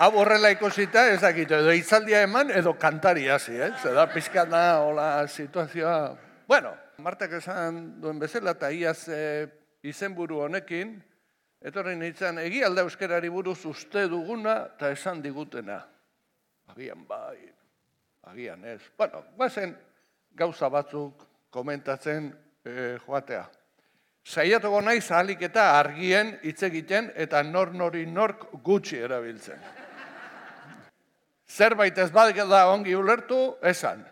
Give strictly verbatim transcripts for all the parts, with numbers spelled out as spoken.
Hau horrela ikusita, ez dakit, edo hitzaldia eman, edo kantari hasi, eh? Zeda pizkat da, hola, situazioa. Bueno, Martak esan duen bezala, eta iaz izenburu honekin, etorri nintzen, egi alda euskerari buruz uste duguna, eta esan digutena. Agian bai, agian ez. Bueno, bazen gauza batzuk komentatzen joatea. Saiatuko naiz ahalik eta argien hitz egiten eta nor nori nork gutxi erabiltzen. Zerbait ez bada ongi ulertu, esan.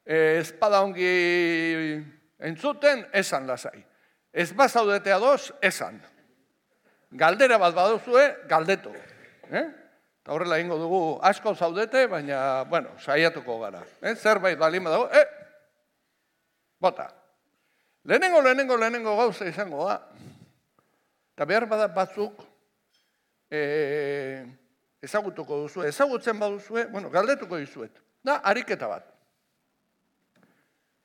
Ez bada ongi entzuten, esan lasai. Ez bazaudete ados, esan. Galdera bat baduzue, galdetu. Eta horrela ingo dugu asko zaudete, baina, bueno, saiatuko gara. Zerbait balin badago, eh, bota. Lehenengo, lehenengo, lehenengo gauza izango da. Eta behar bada batzuk ezagutuko duzue. Ezagutzen baduzue, bueno, galdetuko dizuet. Da, ariketa bat.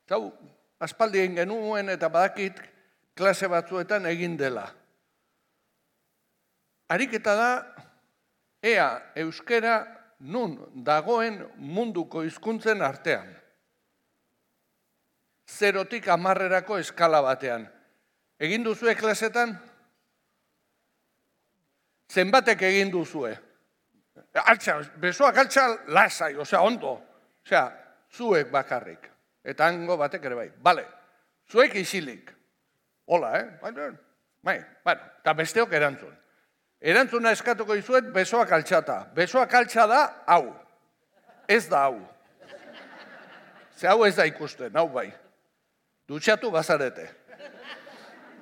Zau, aspaldi egin genuen eta badakit klase batzuetan egin dela. Ariketa da, ea euskera nun dagoen munduko hizkuntzen artean. Zerotik hamarrerako eskala batean. Egin duzue klasetan? Zenbatek egin duzue? Altza, besoak altza lasai, osea, ondo. Osea, zuek bakarrik. Eta hango batek ere bai. Bale, zuek isilik. Hola, eh? Bai, bueno, eta besteok erantzun. Erantzuna eskatuko izuet besoak altxata. Besoak altxa da, hau. Ez da hau. Ze hau ez da ikusten, hau bai. Dutxatu bazarete.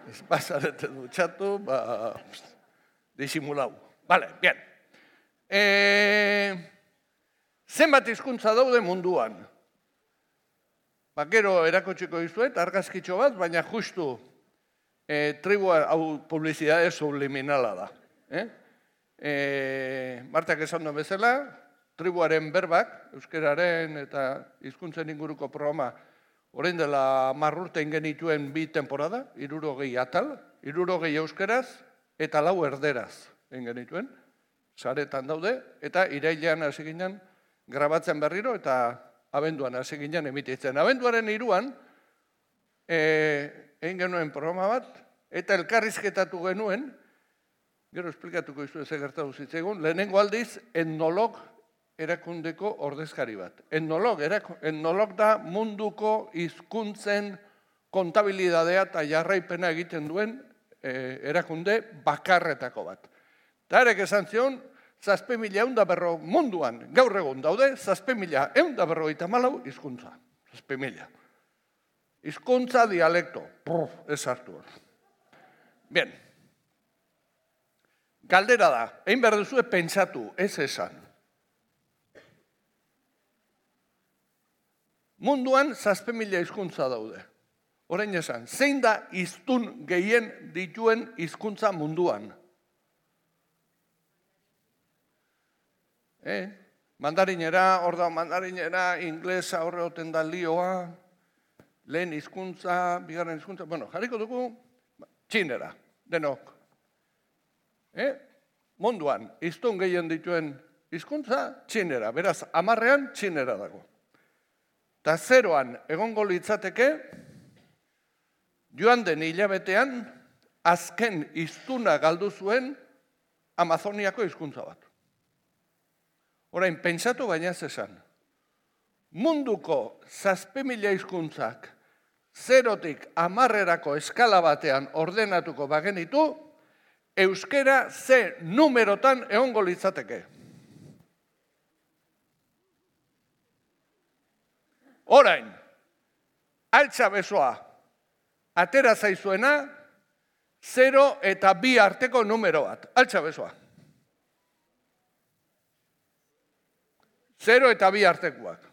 Ez bazarete dutxatu, ba... disimulau. Bale, bien. Zenbat hizkuntza daude munduan? Bakero erakotsiko dizuet, argazkitxo bat, baina justu tribua hau publizidade subliminala da. Martak esan duen bezala, tribuaren berbak, euskeraren eta hizkuntzen inguruko programa orain dela marrurte ingenituen bi temporada, hirurogei atal, hirurogei euskeraz eta lau erderaz ingenituen, saretan daude, eta irailean hasi ginen grabatzen berriro eta abenduan hasi ginen emititzen. Abenduaren hiruan egin genuen programa bat, eta elkarrizketatu genuen, gero esplikatuko izu ez egertatu zitzaigun, lehenengo aldiz etnolog erakundeko ordezkari bat. Etnolog, etnolog da munduko hizkuntzen kontabilidadea eta jarraipena egiten duen erakunde bakarretako bat. Eta erek esan zion, zazpe mila eunda berro munduan, gaur egun daude, zazpe mila eunda berro eta malau hizkuntza. Zazpe mila. Hizkuntza dialekto. Ez hartu hor. Bien. Galdera da, egin behar duzue pentsatu, ez esan. Munduan zazpe mila hizkuntza daude. Orain esan, zein da hiztun gehien dituen hizkuntza munduan? Eh? Mandarinera, hor da mandarinera, inglesa horre oten da lioa, lehen hizkuntza, bigarren hizkuntza, bueno, jarriko dugu, txinera, denok. Eh? Munduan, hiztun gehien dituen hizkuntza, txinera, beraz, hamarrean txinera dago. Eta zeroan egongo litzateke, joan den hilabetean, azken hiztuna galdu zuen Amazoniako hizkuntza bat. Orain, pentsatu baina ez esan. Munduko zazpe mila hizkuntzak zerotik hamarrerako eskala batean ordenatuko bagenitu, euskera ze numerotan egongo litzateke. Orain, altza besoa, atera zaizuena, zero eta bi arteko numero bat. Altza besoa. Zero eta bi artekoak.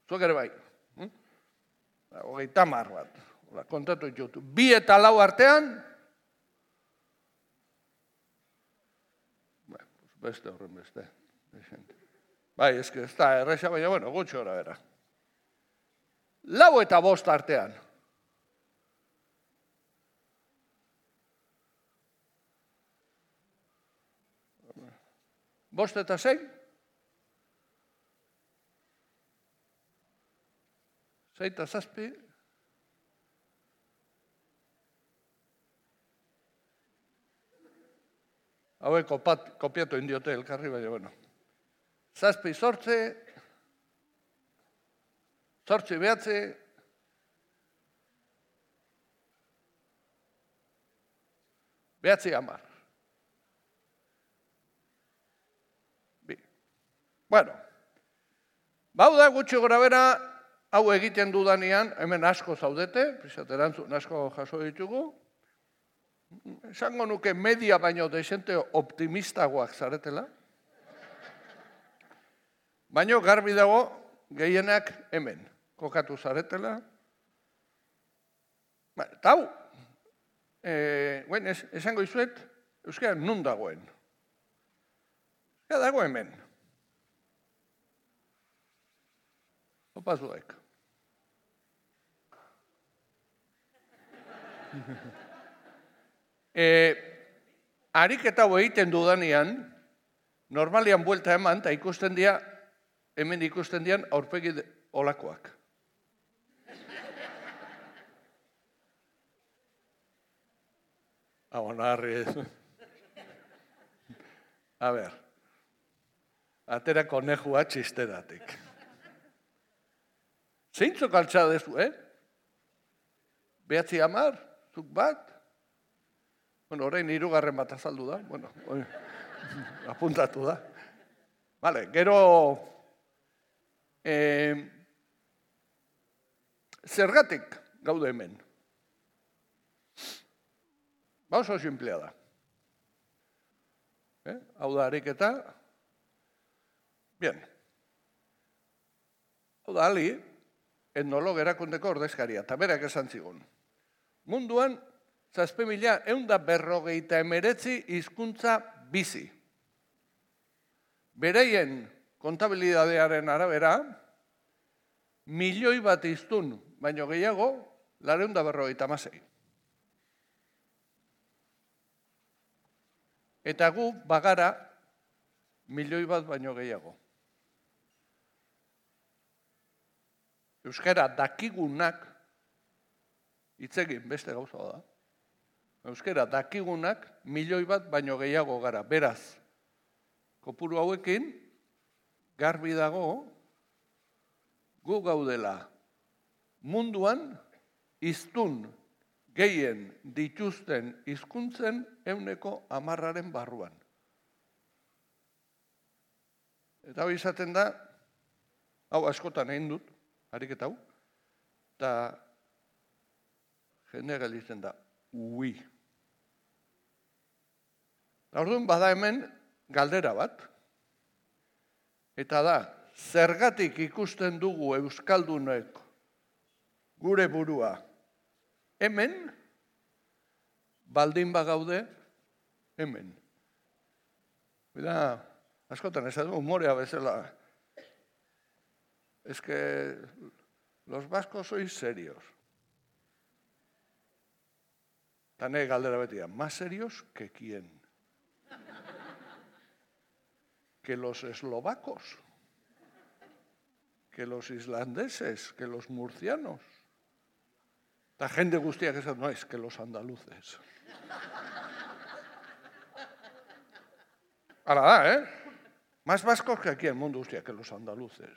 Zuek ere bai. Hogeita hamar bat. Kontatu ditutu. Bi eta lau artean, beste horren beste. Bai, ez ez da erresa, baina, bueno, gutxi gora bera. Lau eta bost artean. Bost eta sei? Sei eta zazpi? Hauek kopiatu indiote elkarri, baina, bueno. Zazpi zortze, zortzi behatze, behatzi hamar. Bi. Bueno, bau da gutxi gora bera, hau egiten dudanean, hemen asko zaudete, pisaterantzun asko jaso ditugu, esango nuke media baino desente optimistagoak zaretela, baino garbi dago gehienak hemen kokatu zaretela. Eta hau, esango izuet, euskara nun dagoen. Euskara dago hemen. Opa zuek. Ariketa hau egiten dudanean, normalian buelta eman, eta ikusten dira, hemen ikusten dian aurpegi olakoak. Hau, naharri ez. A ber, atera konejua txisteratik. Zeintzok altza dezu, eh? Behatzi hamar, zuk bat? Bueno, orain hirugarren bat azaldu da, bueno, apuntatu da. Vale, gero... Zergatik gaude hemen. Ba oso simplea da. Hau da ariketa. Bien. Hau da ali, etnolog erakundeko ordezkaria, eta berak esan zigun. Munduan, zazpi mila eunda berrogeita emeretzi hizkuntza bizi. Bereien kontabilidadearen arabera, milioi bat hiztun baino gehiago, lareunda berrogeita hamasei. Eta gu bagara milioi bat baino gehiago. Euskara dakigunak, hitzegin beste gauza da, euskara dakigunak milioi bat baino gehiago gara. Beraz, kopuru hauekin, garbi dago, gu gaudela munduan hiztun gehien dituzten hizkuntzen ehuneko hamarraren barruan. Eta hau izaten da, hau askotan egin dut, ariketa hau, eta jendea gelditzen da, ui. Orduan bada hemen galdera bat, eta da, zergatik ikusten dugu euskaldunek gure burua hemen, baldin bagaude hemen. Bida, askotan ez da humorea bezala. Es que los vascos sois serios. Tane galdera betia, más serios que quién? Que los eslovacos, que los islandeses, que los murcianos. La gente guztiak esan, no, es que los andaluces. Hala da, eh? Más vascos que aquí en el mundo guztiak, que los andaluces.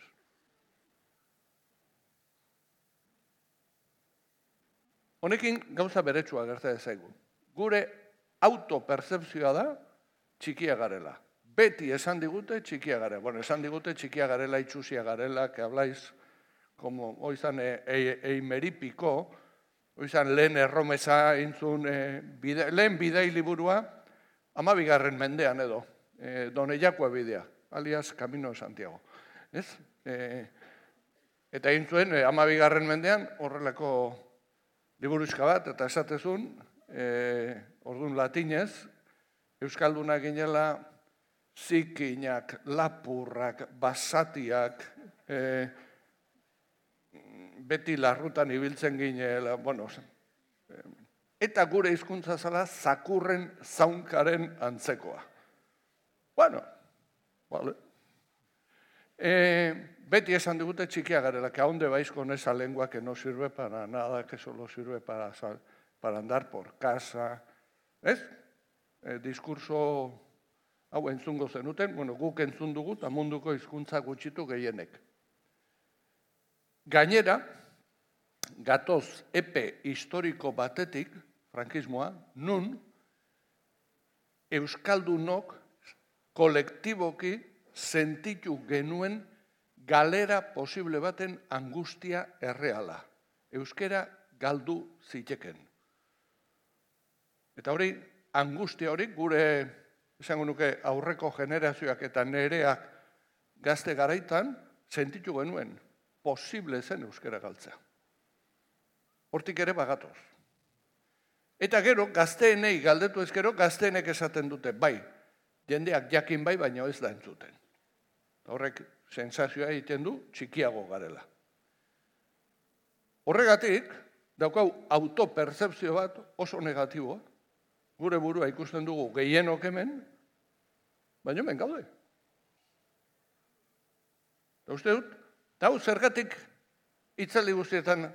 Honekin gauza beretsua gerta ezaigu. Gure autopercepzioa da txikia garela. Beti esan digute txikia garela. Bueno, esan digute txikia garela, itxusia garela, que habláis como oizan eimeripiko, oizan lehen erromesa intzun, lehen bidei liburua, amabigarren mendean edo, Doneiakua bidea, alias Camino de Santiago. Ez? Eta intzuen, amabigarren mendean, horrelako liburuzka bat, eta esatezun, orduan latinez, Euskalduna ginela zikinak, lapurrak, basatiak, e, beti larrutan ibiltzen ginela, bueno, eta gure hizkuntza zala zakurren zaunkaren antzekoa. Bueno, vale. Eh, beti esan digute txikia garela, que aonde vais con esa lengua que no sirve para nada, que solo sirve para, para andar por casa. Ez? Eh, diskurso hau entzungo zenuten, bueno, guk entzun dugu, eta munduko hizkuntza gutxitu gehienek. Gainera, gatoz epe historiko batetik, frankismoa, nun, euskaldunok kolektiboki sentitu genuen galera posible baten angustia erreala. Euskera galdu ziteken. Eta hori, angustia hori, gure, esango nuke, aurreko generazioak eta nereak gazte garaitan, sentitu genuen, posible zen euskera galtzea. Hortik ere bagatoz. Eta gero, gazteenei galdetu ezkero, gazteenek esaten dute, bai, jendeak jakin bai, baina ez da entzuten. Horrek sensazioa egiten du, txikiago garela. Horregatik, daukau autopertzepzio bat oso negatiboa, gure burua ikusten dugu gehienok hemen, baina hemen gaude. Eta uste dut, eta hau zergatik itzaldi guztietan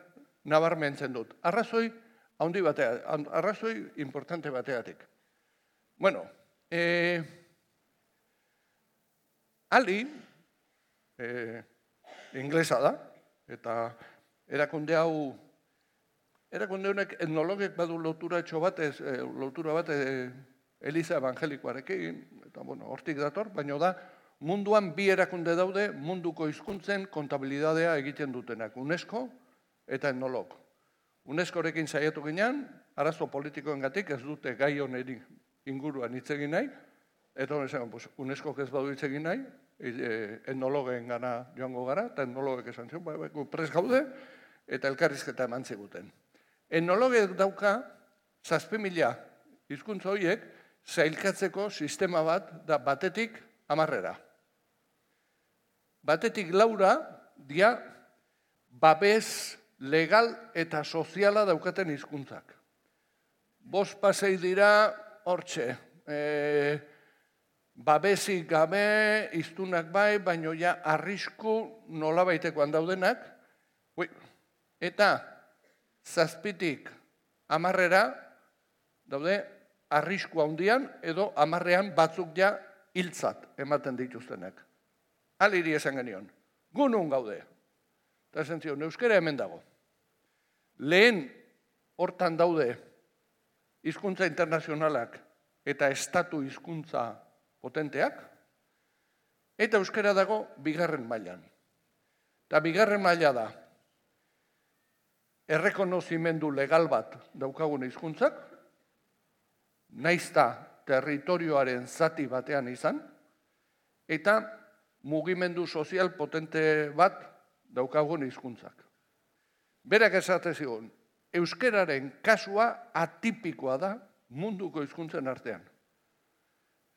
nabarmentzen dut. Arrazoi handi batea, arrazoi importante bateatik. Bueno, eh, Ali, eh, inglesa da, eta erakunde hau, erakunde honek etnologek badu lotura etxo bat, ez, eh, lotura bat eh, Eliza Evangelikoarekin, eta bueno, hortik dator, baina da, munduan bi erakunde daude munduko hizkuntzen kontabilidadea egiten dutenak, UNESCO eta etnolog. UNESCOrekin saiatu ginean, arazo politikoengatik ez dute gai honen inguruan hitz egin nahi, eta honen esan, pues, UNESCOk ez badu hitz egin nahi, etnologen gana joango gara, eta etnologek esan zion, bai, bai, pres gaude, eta elkarrizketa eman ziguten. Etnologek dauka, zazpi mila hizkuntza horiek, zailkatzeko sistema bat, da batetik hamarrera. Batetik laura, dia, babes legal eta soziala daukaten hizkuntzak. Bost pasei dira, hortxe, e, babesik gabe, iztunak bai, baino ja arrisku nolabaitekoan daudenak, ui, eta zazpitik hamarrera, daude, arrisku handian, edo hamarrean batzuk ja hiltzat ematen dituztenak. Aliri esan genion, gunun gaude. Eta esan zion, euskera hemen dago. Lehen hortan daude hizkuntza internazionalak eta estatu hizkuntza potenteak, eta euskera dago bigarren mailan. Eta bigarren maila da, errekonozimendu legal bat daukagun hizkuntzak, naizta territorioaren zati batean izan, eta mugimendu sozial potente bat daukagun hizkuntzak. Berak esate zigun, euskeraren kasua atipikoa da munduko hizkuntzen artean.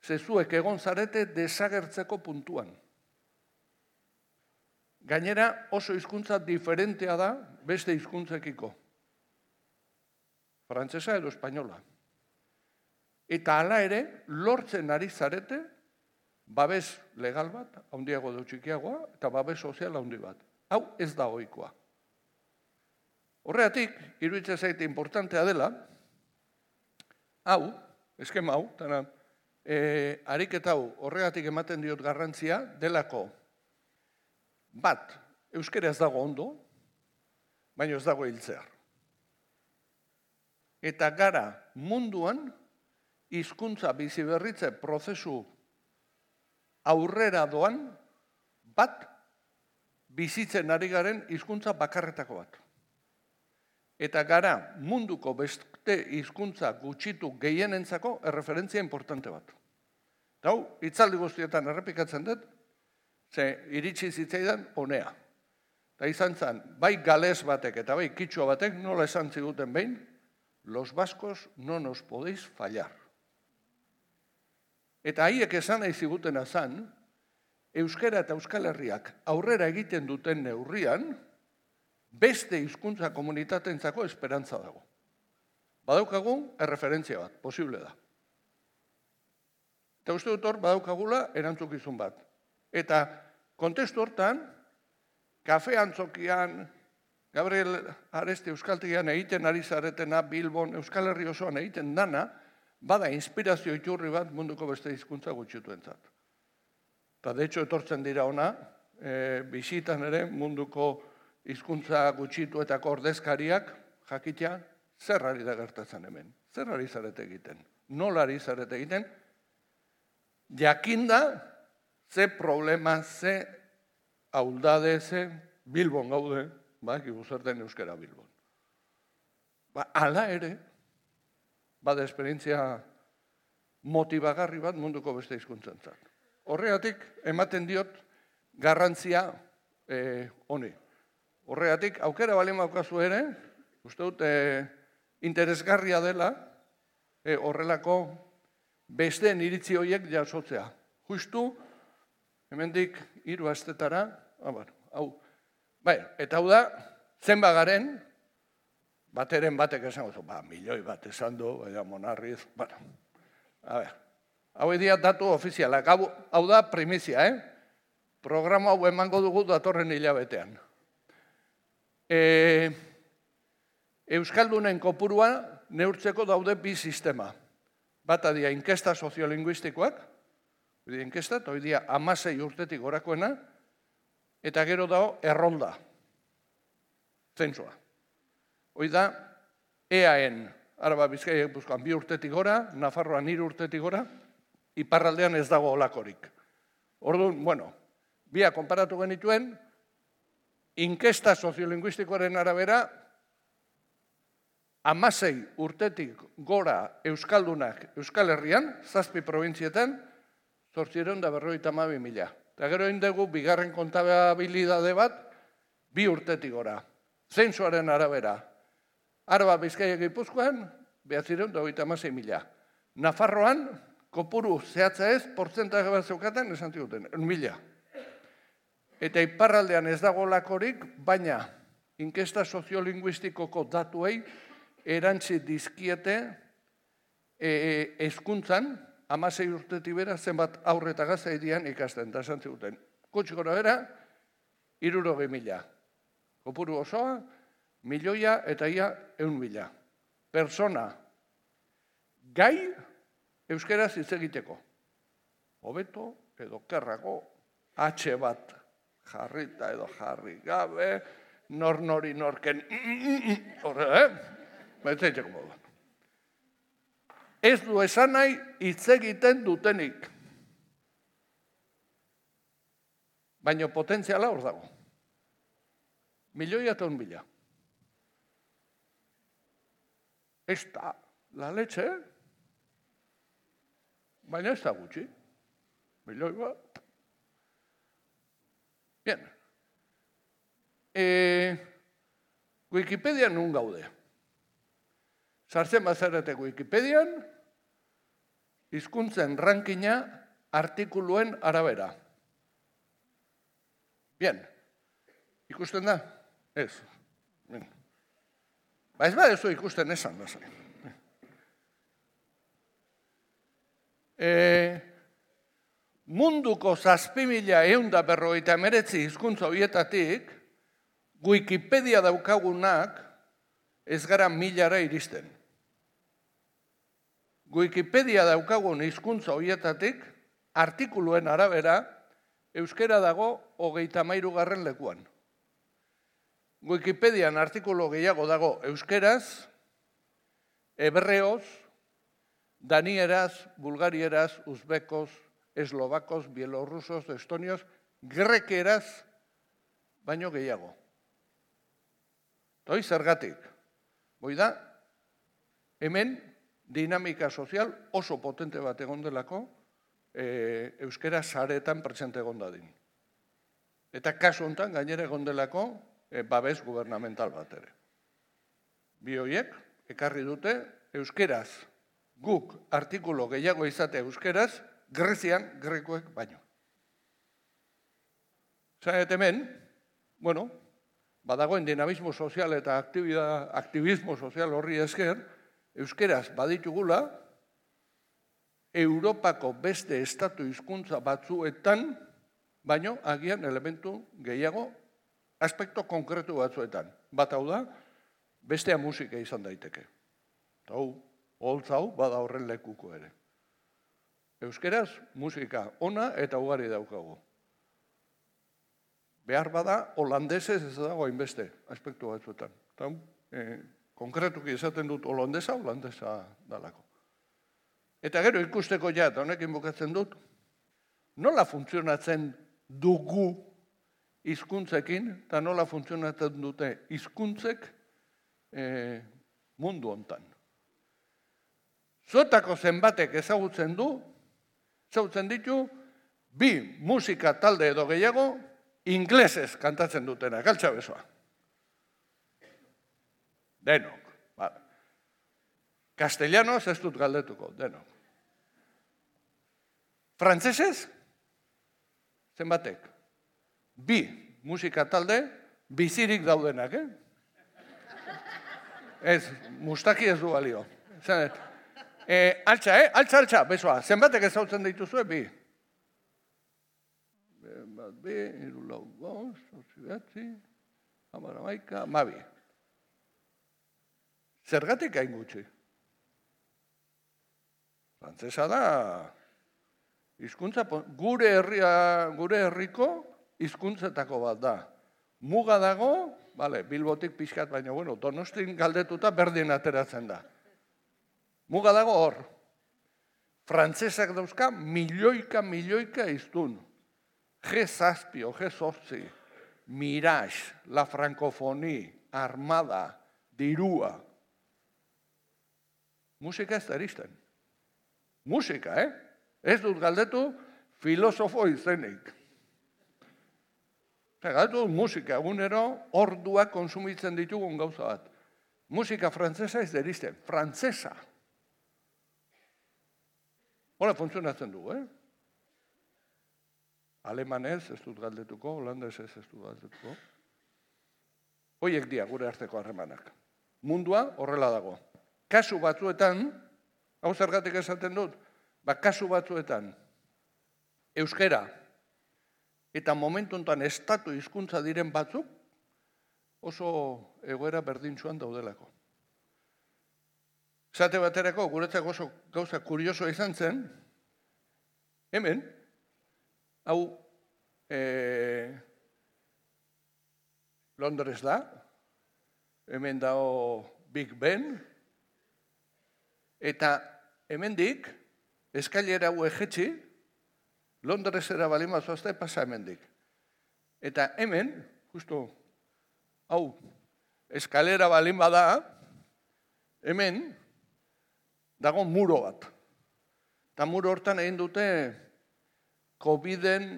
Zezuek egon zarete desagertzeko puntuan. Gainera oso hizkuntza diferentea da beste hizkuntzekiko. Frantsesa edo espainola. Eta hala ere, lortzen ari zarete, babes legal bat, handiago edo txikiagoa, eta babes sozial handi bat. Hau ez da ohikoa. Horregatik, iruditzen zaite importantea dela, hau, eskema hau, tana, e, ariketa hau horregatik ematen diot garrantzia, delako bat, euskera ez dago ondo, baina ez dago hiltzear. Eta gara munduan, hizkuntza biziberritze prozesu aurrera doan, bat, bizitzen ari garen hizkuntza bakarretako bat. Eta gara munduko beste hizkuntza gutxitu gehienentzako erreferentzia importante bat. Eta hau, hitzaldi guztietan errepikatzen dut, ze iritsi zitzaidan honea. Eta izan zen, bai gales batek eta bai kitxua batek nola esan ziguten behin, los vascos no nos podéis fallar. Eta haiek esan nahi zigutena zan, euskara eta Euskal Herriak aurrera egiten duten neurrian, beste hizkuntza komunitatentzako esperantza dago. Badaukagun erreferentzia bat, posible da. Eta uste dut hor, badaukagula erantzukizun bat. Eta kontestu hortan, kafe antzokian, Gabriel Aresti Euskaltegian egiten ari zaretena, Bilbon, Euskal Herri osoan egiten dana, bada inspirazio iturri bat munduko beste hizkuntza gutxituentzat. Eta de hecho etortzen dira ona, e, bisitan ere munduko hizkuntza gutxituetako ordezkariak jakitea zer ari da gertatzen hemen. Zer ari zarete egiten? Nola ari zarete egiten? Jakinda ze problema, ze auldade, ze Bilbon gaude, ba, gibuzerten euskera Bilbon. Ba, ala ere, bada esperientzia motibagarri bat munduko beste hizkuntzantzat. Horregatik, ematen diot, garrantzia eh, honi. Horregatik, aukera bali maukazu ere, uste dut, eh, interesgarria dela, eh, horrelako besteen iritzi horiek jasotzea. Justu, hemendik hiru astetara, ah, bueno, hau, bai, eta hau da, zenba garen, bateren batek esan gozu, ba, milioi bat esan du, baina monarriz, bueno, a ber, hau edia datu ofizialak, hau, hau da primizia, eh? Programa hau emango dugu datorren hilabetean. E, Euskaldunen kopurua neurtzeko daude bi sistema. Bata dia inkesta soziolinguistikoak, inkesta, eta hoi dia amasei urtetik gorakoena, eta gero dago errolda, zentsua. Hoi da, E A N, Araba Bizkaia Gipuzkoan bi urtetik gora, Nafarroan hiru urtetik gora, iparraldean ez dago olakorik. Orduan, bueno, bia konparatu genituen, inkesta soziolinguistikoaren arabera, amasei urtetik gora Euskaldunak Euskal Herrian, zazpi probintzietan, zortziehun eta berrogeita hamabi mila. Eta gero egin dugu, bigarren kontabilidade bat, bi urtetik gora. Zentzuaren arabera, Araba Bizkaia Gipuzkoan, behatziehun eta hogeita hamasei mila. Nafarroan, kopuru zehatza ez, portzentaje bat zeukaten, esan ziguten, un mila. Eta iparraldean ez dago lakorik, baina inkesta soziolinguistikoko datuei erantzi dizkiete hezkuntzan, hamasei urtetik bera, zenbat aurre eta gazte edian ikasten, eta esan ziguten. Gutxi gora bera, hirurogei mila. Kopuru osoa, milioia eta ia eun mila. Persona, gai, euskeraz hitz egiteko. Hobeto edo kerrago, H bat jarrita edo jarri gabe, nor nori norken, horre, eh? Baitzaiteko moduan. Ez du esan nahi hitz egiten dutenik. Baina potentziala hor dago. Milioia eta un mila. Ez da la leche, baina ez da gutxi. Milioi bat. Bien. E, Wikipedia nun gaude. Sartzen bazarete Wikipedian, hizkuntzen rankina artikuluen arabera. Bien. Ikusten da? Ez. Bien. Ba ez badezu ikusten esan, da zain. E, munduko zazpi mila ehun eta berrogeita hemeretzi hizkuntza horietatik, Wikipedia daukagunak ez gara milara iristen. Wikipedia daukagun hizkuntza horietatik, artikuluen arabera, euskera dago hogeita hamairu garren lekuan. Wikipedian artikulu gehiago dago euskeraz, hebreoz, danieraz, bulgarieraz, uzbekoz, eslovakos, bielorrusos, estonios, grekeraz, baino gehiago. Toi zergatik. Boi da, hemen dinamika sozial oso potente bat egon delako e, euskera saretan presente egon dadin. Eta kasu honetan gainera egon delako e, babes gubernamental bat ere. Bi horiek ekarri dute euskeraz guk artikulu gehiago izate euskeraz Grezian, grekoek baino. Zanet hemen, bueno, badagoen dinamismo sozial eta aktivismo sozial horri esker, euskeraz baditugula, Europako beste estatu hizkuntza batzuetan, baino agian elementu gehiago, aspekto konkretu batzuetan. Bat hau da, bestea musika izan daiteke. Eta hau, holtz hau, bada horren lekuko ere. Euskeraz, musika ona eta ugari daukagu. Behar bada, holandesez ez dago hainbeste aspektu batzuetan. Eta, eh, konkretuki esaten dut holandesa, holandesa dalako. Eta gero ikusteko ja, eta honekin bukatzen dut, nola funtzionatzen dugu hizkuntzekin, eta nola funtzionatzen dute hizkuntzek eh, mundu hontan. Zuetako zenbatek ezagutzen du, ezagutzen ditu, bi musika talde edo gehiago, inglesez kantatzen dutena, galtza besoa. Denok. Castellanos ez dut galdetuko, denok. Frantsesez, zenbatek? Bi musika talde, bizirik daudenak, eh? Ez, mustaki ez du balio. Zanet. E, altza, eh? Altza, altza, besoa. Zenbatek ezautzen dituzue, bi. Bat, bi, iru lau, bost, zortzi behatzi, hamar hamaika, hamabi. Zergatik hain gutxi? Frantsesa da, hizkuntza, gure herria, gure herriko hizkuntzetako bat da. Muga dago, vale, Bilbotik pixkat, baina bueno, Donostin galdetuta berdin ateratzen da. Muga dago hor. Frantsesak dauzka milioika, milioika hiztun. G zazpi o G zortzi, Mirage, La Francophonie, Armada, dirua. Musika ez da eristen. Musika, eh? Ez dut galdetu filosofo izenik. Galdetu musika, egunero orduak konsumitzen ditugun gauza bat. Musika frantsesa ez da eristen. Frantsesa. Hola funtzionatzen du, eh? Alemanez ez dut galdetuko, holandesez ez dut galdetuko. Hoiek dira gure arteko harremanak. Mundua horrela dago. Kasu batzuetan, hau zergatik esaten dut, ba, kasu batzuetan, euskera eta momentu honetan estatu hizkuntza diren batzuk oso egoera berdintsuan daudelako. Esate baterako, guretzako oso gauza kurioso izan zen, hemen, hau e, Londres da, hemen dago Big Ben, eta hemendik, eskailera hau ejetxi, Londresera balima zoazte pasa hemendik. Eta hemen, justu, hau, eskalera balima da, hemen, dago muro bat. Eta muro hortan egin dute Coviden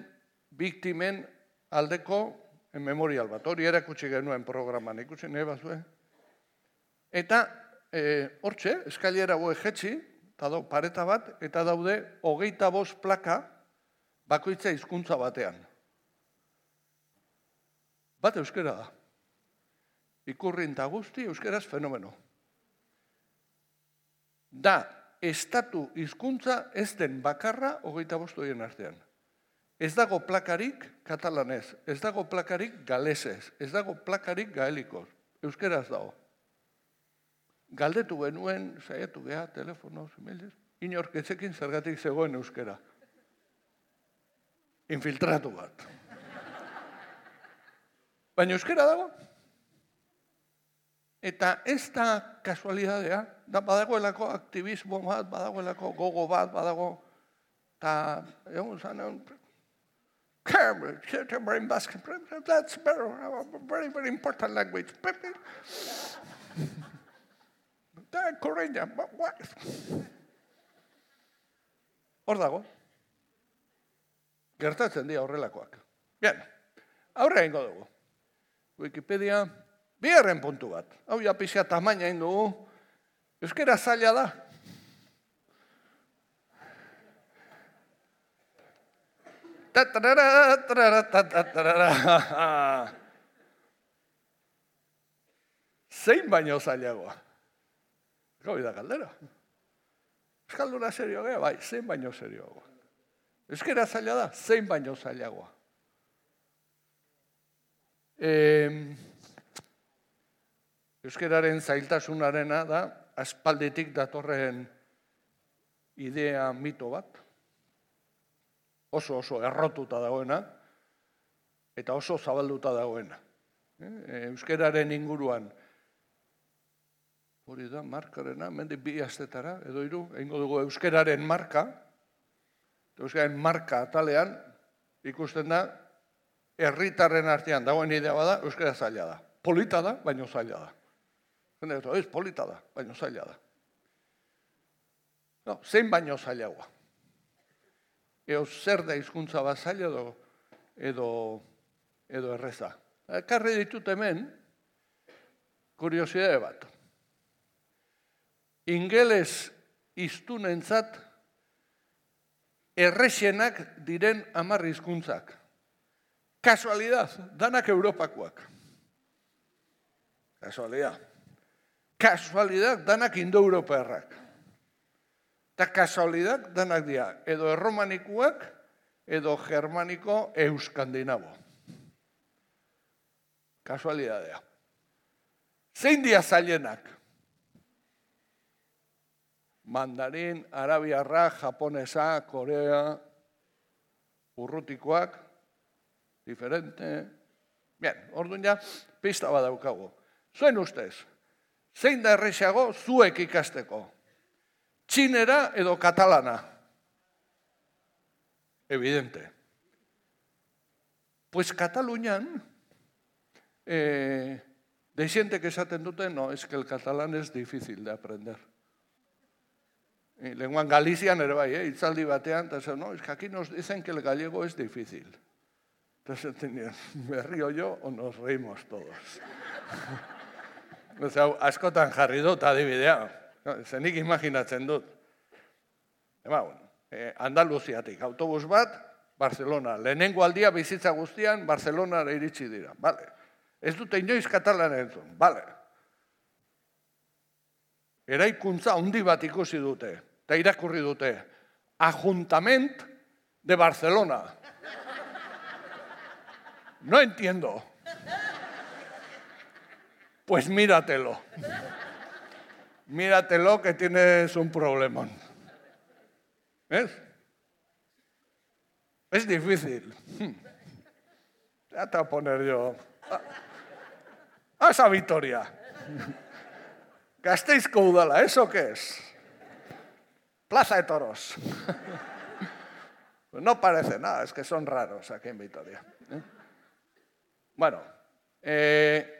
biktimen aldeko memorial bat. Hori erakutsi genuen programan, ikusi nahi bazue. Eta hortxe, e, eskailera hau ejetxi, eta dau pareta bat, eta daude hogeita bost plaka bakoitza hizkuntza batean. Bat euskera da. Ikurrin eta guzti euskeraz fenomeno. Da, estatu hizkuntza ez den bakarra hogeita bost horien artean. Ez dago plakarik katalanez, ez dago plakarik galesez, ez dago plakarik gaelikoz. Euskeraz dago. Galdetu genuen, saiatu geha, telefono, emailez, inorketzekin zergatik zegoen euskera. Infiltratu bat. Baina euskera dago. Eta ez da kasualidadea, da badagoelako aktivismo bat, badagoelako gogo bat, badago, eta egun zanean, Cambridge, September in Basque, that's better, very, very important language. Da, Coreña, what? Hor dago. Gertatzen dira horrelakoak. Bien, aurre egingo dugu. Wikipedia, bigarren puntu bat. Hau ja pixka tamaina egin dugu. Euskera zaila da. Tatarara, tarara, tatarara. Zein baino zailagoa. Hori da galdera. Euskalduna serio gea, bai, zein baino serioagoa. Euskera zaila da, zein baino zailagoa. Eh, Euskeraren zailtasunarena da, aspalditik datorren idea mito bat, oso oso errotuta dagoena, eta oso zabalduta dagoena. Euskeraren inguruan, hori da, markarena, mendik bi astetara, edo hiru, egingo dugu euskeraren marka, euskeraren marka atalean, ikusten da, herritarren artean dagoen idea bada, euskera zaila da. Polita da, baino zaila da. Jende, ez, polita da, baino zaila da. No, zein baino zailagoa. Eo zer da hizkuntza bat zaila edo, edo, edo erreza. Ekarri ditut hemen, kuriosidade bat. Ingeles hiztunentzat errexenak diren hamar hizkuntzak. Kasualidad, danak Europakoak. Kasualidad. Kasualidad, danak indo-europearrak. Eta kasualidad, danak dira, edo erromanikuak, edo germaniko euskandinabo. Kasualidadea. Zein dia zailenak? Mandarin, arabiarra, japonesa, korea, urrutikoak, diferente. Bien, orduan ja, pista badaukagu. Zuen ustez, zein da errexago zuek ikasteko? Txinera edo katalana? Evidente. Pues Katalunian, eh, desientek esaten dute, no, es que el catalán es difícil de aprender. Lenguan Galizian ere bai, eh, itzaldi batean, eta no, es que aquí nos dicen que el gallego es difícil. Entonces, me río yo o nos reímos todos. Hau, askotan jarri dut adibidea. Zenik imaginatzen dut. Eba, bueno, eh, Andaluziatik, autobus bat, Barcelona. Lehenengo aldia bizitza guztian, Barcelonara iritsi dira. Vale. Ez dute inoiz katalan entzun. Vale. Eraikuntza handi bat ikusi dute, eta irakurri dute. Ajuntament de Barcelona. No entiendo. Pues míratelo. Míratelo que tienes un problema. ¿Ves? Es difícil. Ya te voy a poner yo. A esa Vitoria. Gasteizko udala, ¿eso qué es? Plaza de Toros. No parece nada, es que son raros aquí en Vitoria. ¿Eh? Bueno, eh...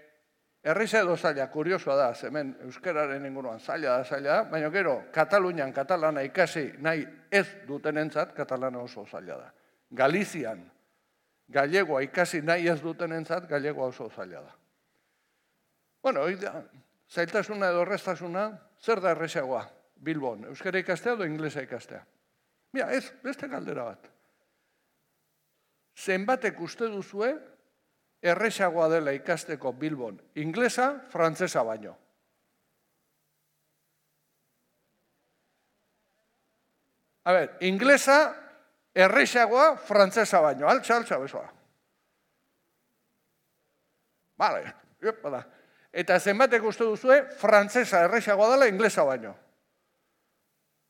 Erriza edo zaila, kuriosoa da, hemen euskararen inguruan zaila da, zaila da, baina gero, Katalunian katalana ikasi nahi ez dutenentzat, katalana oso zaila da. Galizian, gallegoa ikasi nahi ez dutenentzat, gallegoa oso zaila da. Bueno, zailtasuna edo erreztasuna, zer da errezagoa, Bilbon, euskara ikastea edo inglesa ikastea? Mira, ez, beste galdera bat. Zenbatek uste duzue, errezagoa dela ikasteko Bilbon, inglesa, frantsesa baino. A ber, inglesa, errezagoa, frantsesa baino. Altza, altza, besoa. Vale, epa da. Eta zenbatek uste duzue, frantsesa errezagoa dela, inglesa baino.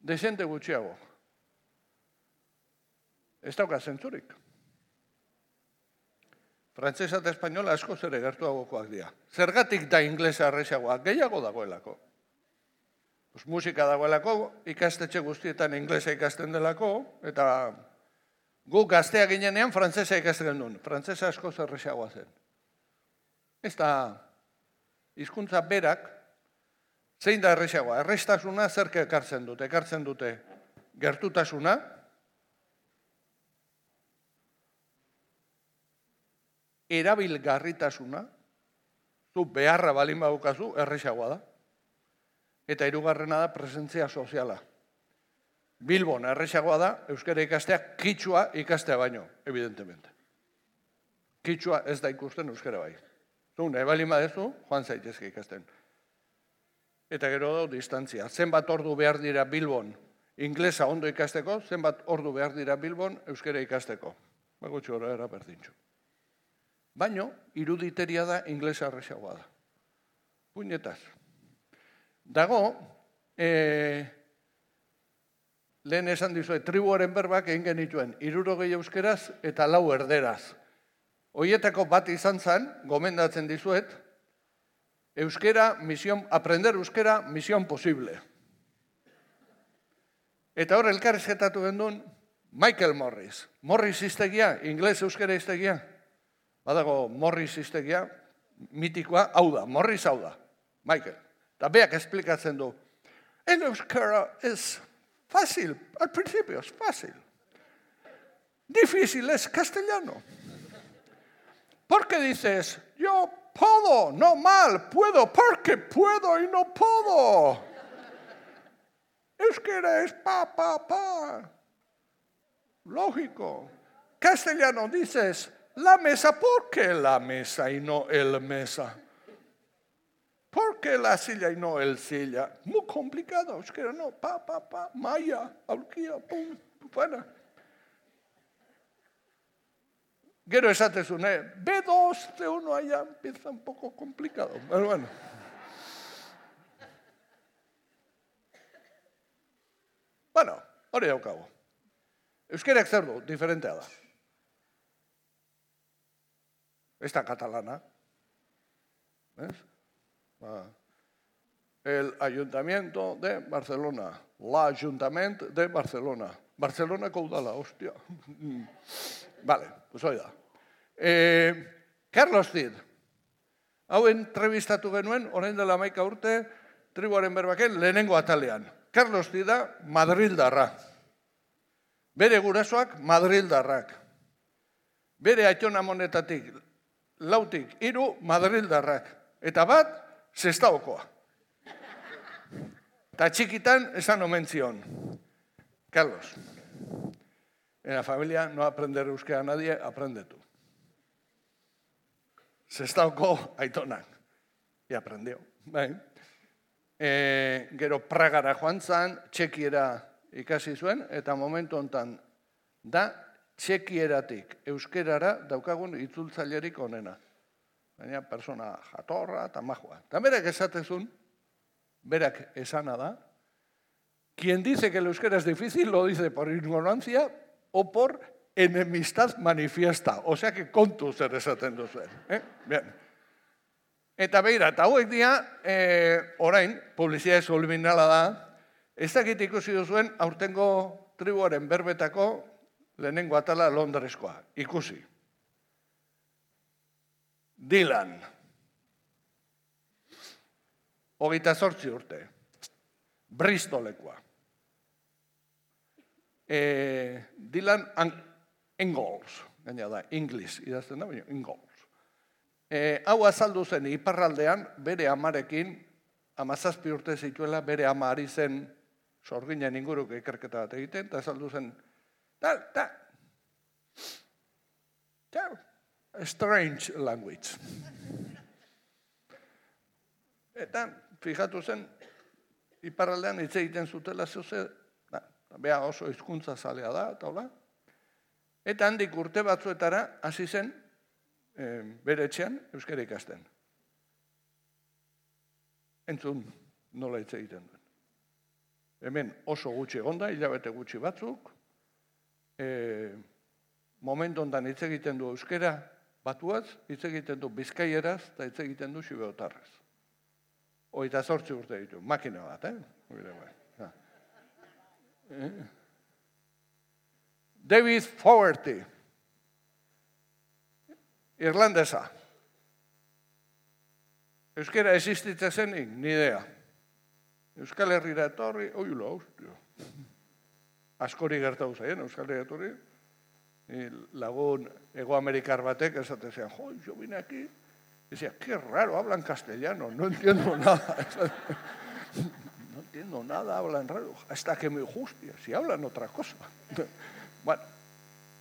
Desente gutxiago. Ez dauka zentzurik. Frantsesa eta espainola asko zere gertuagokoak dira. Zergatik da inglesa errezagoa? Gehiago dagoelako. Pues musika dagoelako, ikastetxe guztietan inglesa ikasten delako, eta gu gaztea ginenean frantsesa ikasten duen. Frantsesa asko errezagoa zen. Ez da, hizkuntza berak, zein da errezagoa? Erreztasuna zerke ekartzen dute? Ekartzen dute gertutasuna, erabilgarritasuna, zu beharra balin badukazu, errezagoa da. Eta hirugarrena da presentzia soziala. Bilbon erresagoa da, euskara ikastea, kitxua ikastea baino, evidentemente. Kitxua ez da ikusten euskara bai. Zun, ebali madezu, joan zaitezke ikasten. Eta gero da, distantzia. Zenbat ordu behar dira Bilbon inglesa ondo ikasteko, zenbat ordu behar dira Bilbon euskara ikasteko. Bagutxo hori era berdintxo. Baino, iruditeria da inglesa erresagoa da. Puñetaz. Dago, eh, lehen esan dizuet, tribuaren berbak egin genituen, hirurogei euskeraz eta lau erderaz. Hoietako bat izan zen, gomendatzen dizuet, euskera, misión, aprender euskera, misión posible. Eta hor elkarrizketatu gendun, Michael Morris. Morris iztegia, ingles euskera iztegia. Badago Morris iztegia, mitikoa, hau da, Morris hau da, Michael. Eta beak esplikatzen du, el euskera es fácil, al principio es fácil. Difícil es castellano. Porque dices, yo puedo, no mal, puedo, porque puedo y no puedo. Euskera es pa, pa, pa. Lógico. Castellano dices, la mesa, ¿por qué la mesa y no el mesa? ¿Por qué la silla y no el silla? Muy complicado, euskera no, pa, pa, pa, maya, aurkia, pum, buena. Gero esatezun, eh? be dos, C uno allá empieza un poco complicado. Pero bueno. Bueno, hori daukagu. Euskerak zer du, diferentea da. Ez da katalana. ¿Ves? Ah. El Ayuntamiento de Barcelona. L'Ajuntament de Barcelona. Barcelonako udala, hostia. Vale, pues hori da. Eh, Carlos Cid. Hau entrevistatu genuen, orain dela hamaika urte, tribuaren berbaken lehenengo atalean. Carlos Cid da Madrildarra. Bere gurasoak Madrildarrak. Bere aitona monetatik, lautik, hiru Madrildarrak. Eta bat, Sestaokoa. Eta txikitan esan omen zion. Carlos, en la familia no aprender euskera a nadie, aprende tú. Sestaoko aitonak. Y aprendió. E, gero Pragara joan zan, txekiera ikasi zuen, eta momentu hontan da txekieratik euskerara daukagun itzultzailerik onena. Baina persona jatorra eta majua. Eta berak esatezun, berak esana da, quien dice que el euskera es difícil lo dice por ignorancia o por enemistad manifiesta. O sea que kontu zer esaten duzuen. Eh? Bien. Eta beira, eta hauek dira, eh, orain, publizitate subliminala da, ez dakit ikusi duzuen aurtengo tribuaren berbetako lehenengo atala Londreskoa. Ikusi. Dylan. Hogeita zortzi urte. Bristolekoa. Eh, Dylan Ingalls, gaina da, Inglis, idazten da, baina Ingalls. Eh, hau azaldu zen iparraldean, bere amarekin, amazazpi urte zituela, bere ama ari zen sorginen inguruko ikerketa bat egiten, eta azaldu zen, da, da, da, strange language. Eta, fijatu zen, iparraldean hitz egiten zutela zuze, bea oso hizkuntza zalea da, eta hola. Eta handik urte batzuetara hasi zen e, bere etxean euskara ikasten. Entzun nola hitz egiten duen. Hemen oso gutxi egonda, hilabete gutxi batzuk, e, momentu ondan hitz egiten du euskara batuaz, hitz egiten du bizkaieraz, eta hitz egiten du xibeotarraz. Hogeita zortzi urte ditu, makina bat, eh? David Fogarty, irlandesa. Euskera existitza zenik, ni idea. Euskal Herrira etorri, oiula, hostia. Askori gertatu zaien, Euskal Herrira etorri. Lagun egoamerikar batek esaten zean, jo, yo vine aquí. Decía, qué raro, hablan castellano, no entiendo nada. No entiendo nada, hablan raro, hasta que me guste, si hablan otra cosa. Bueno,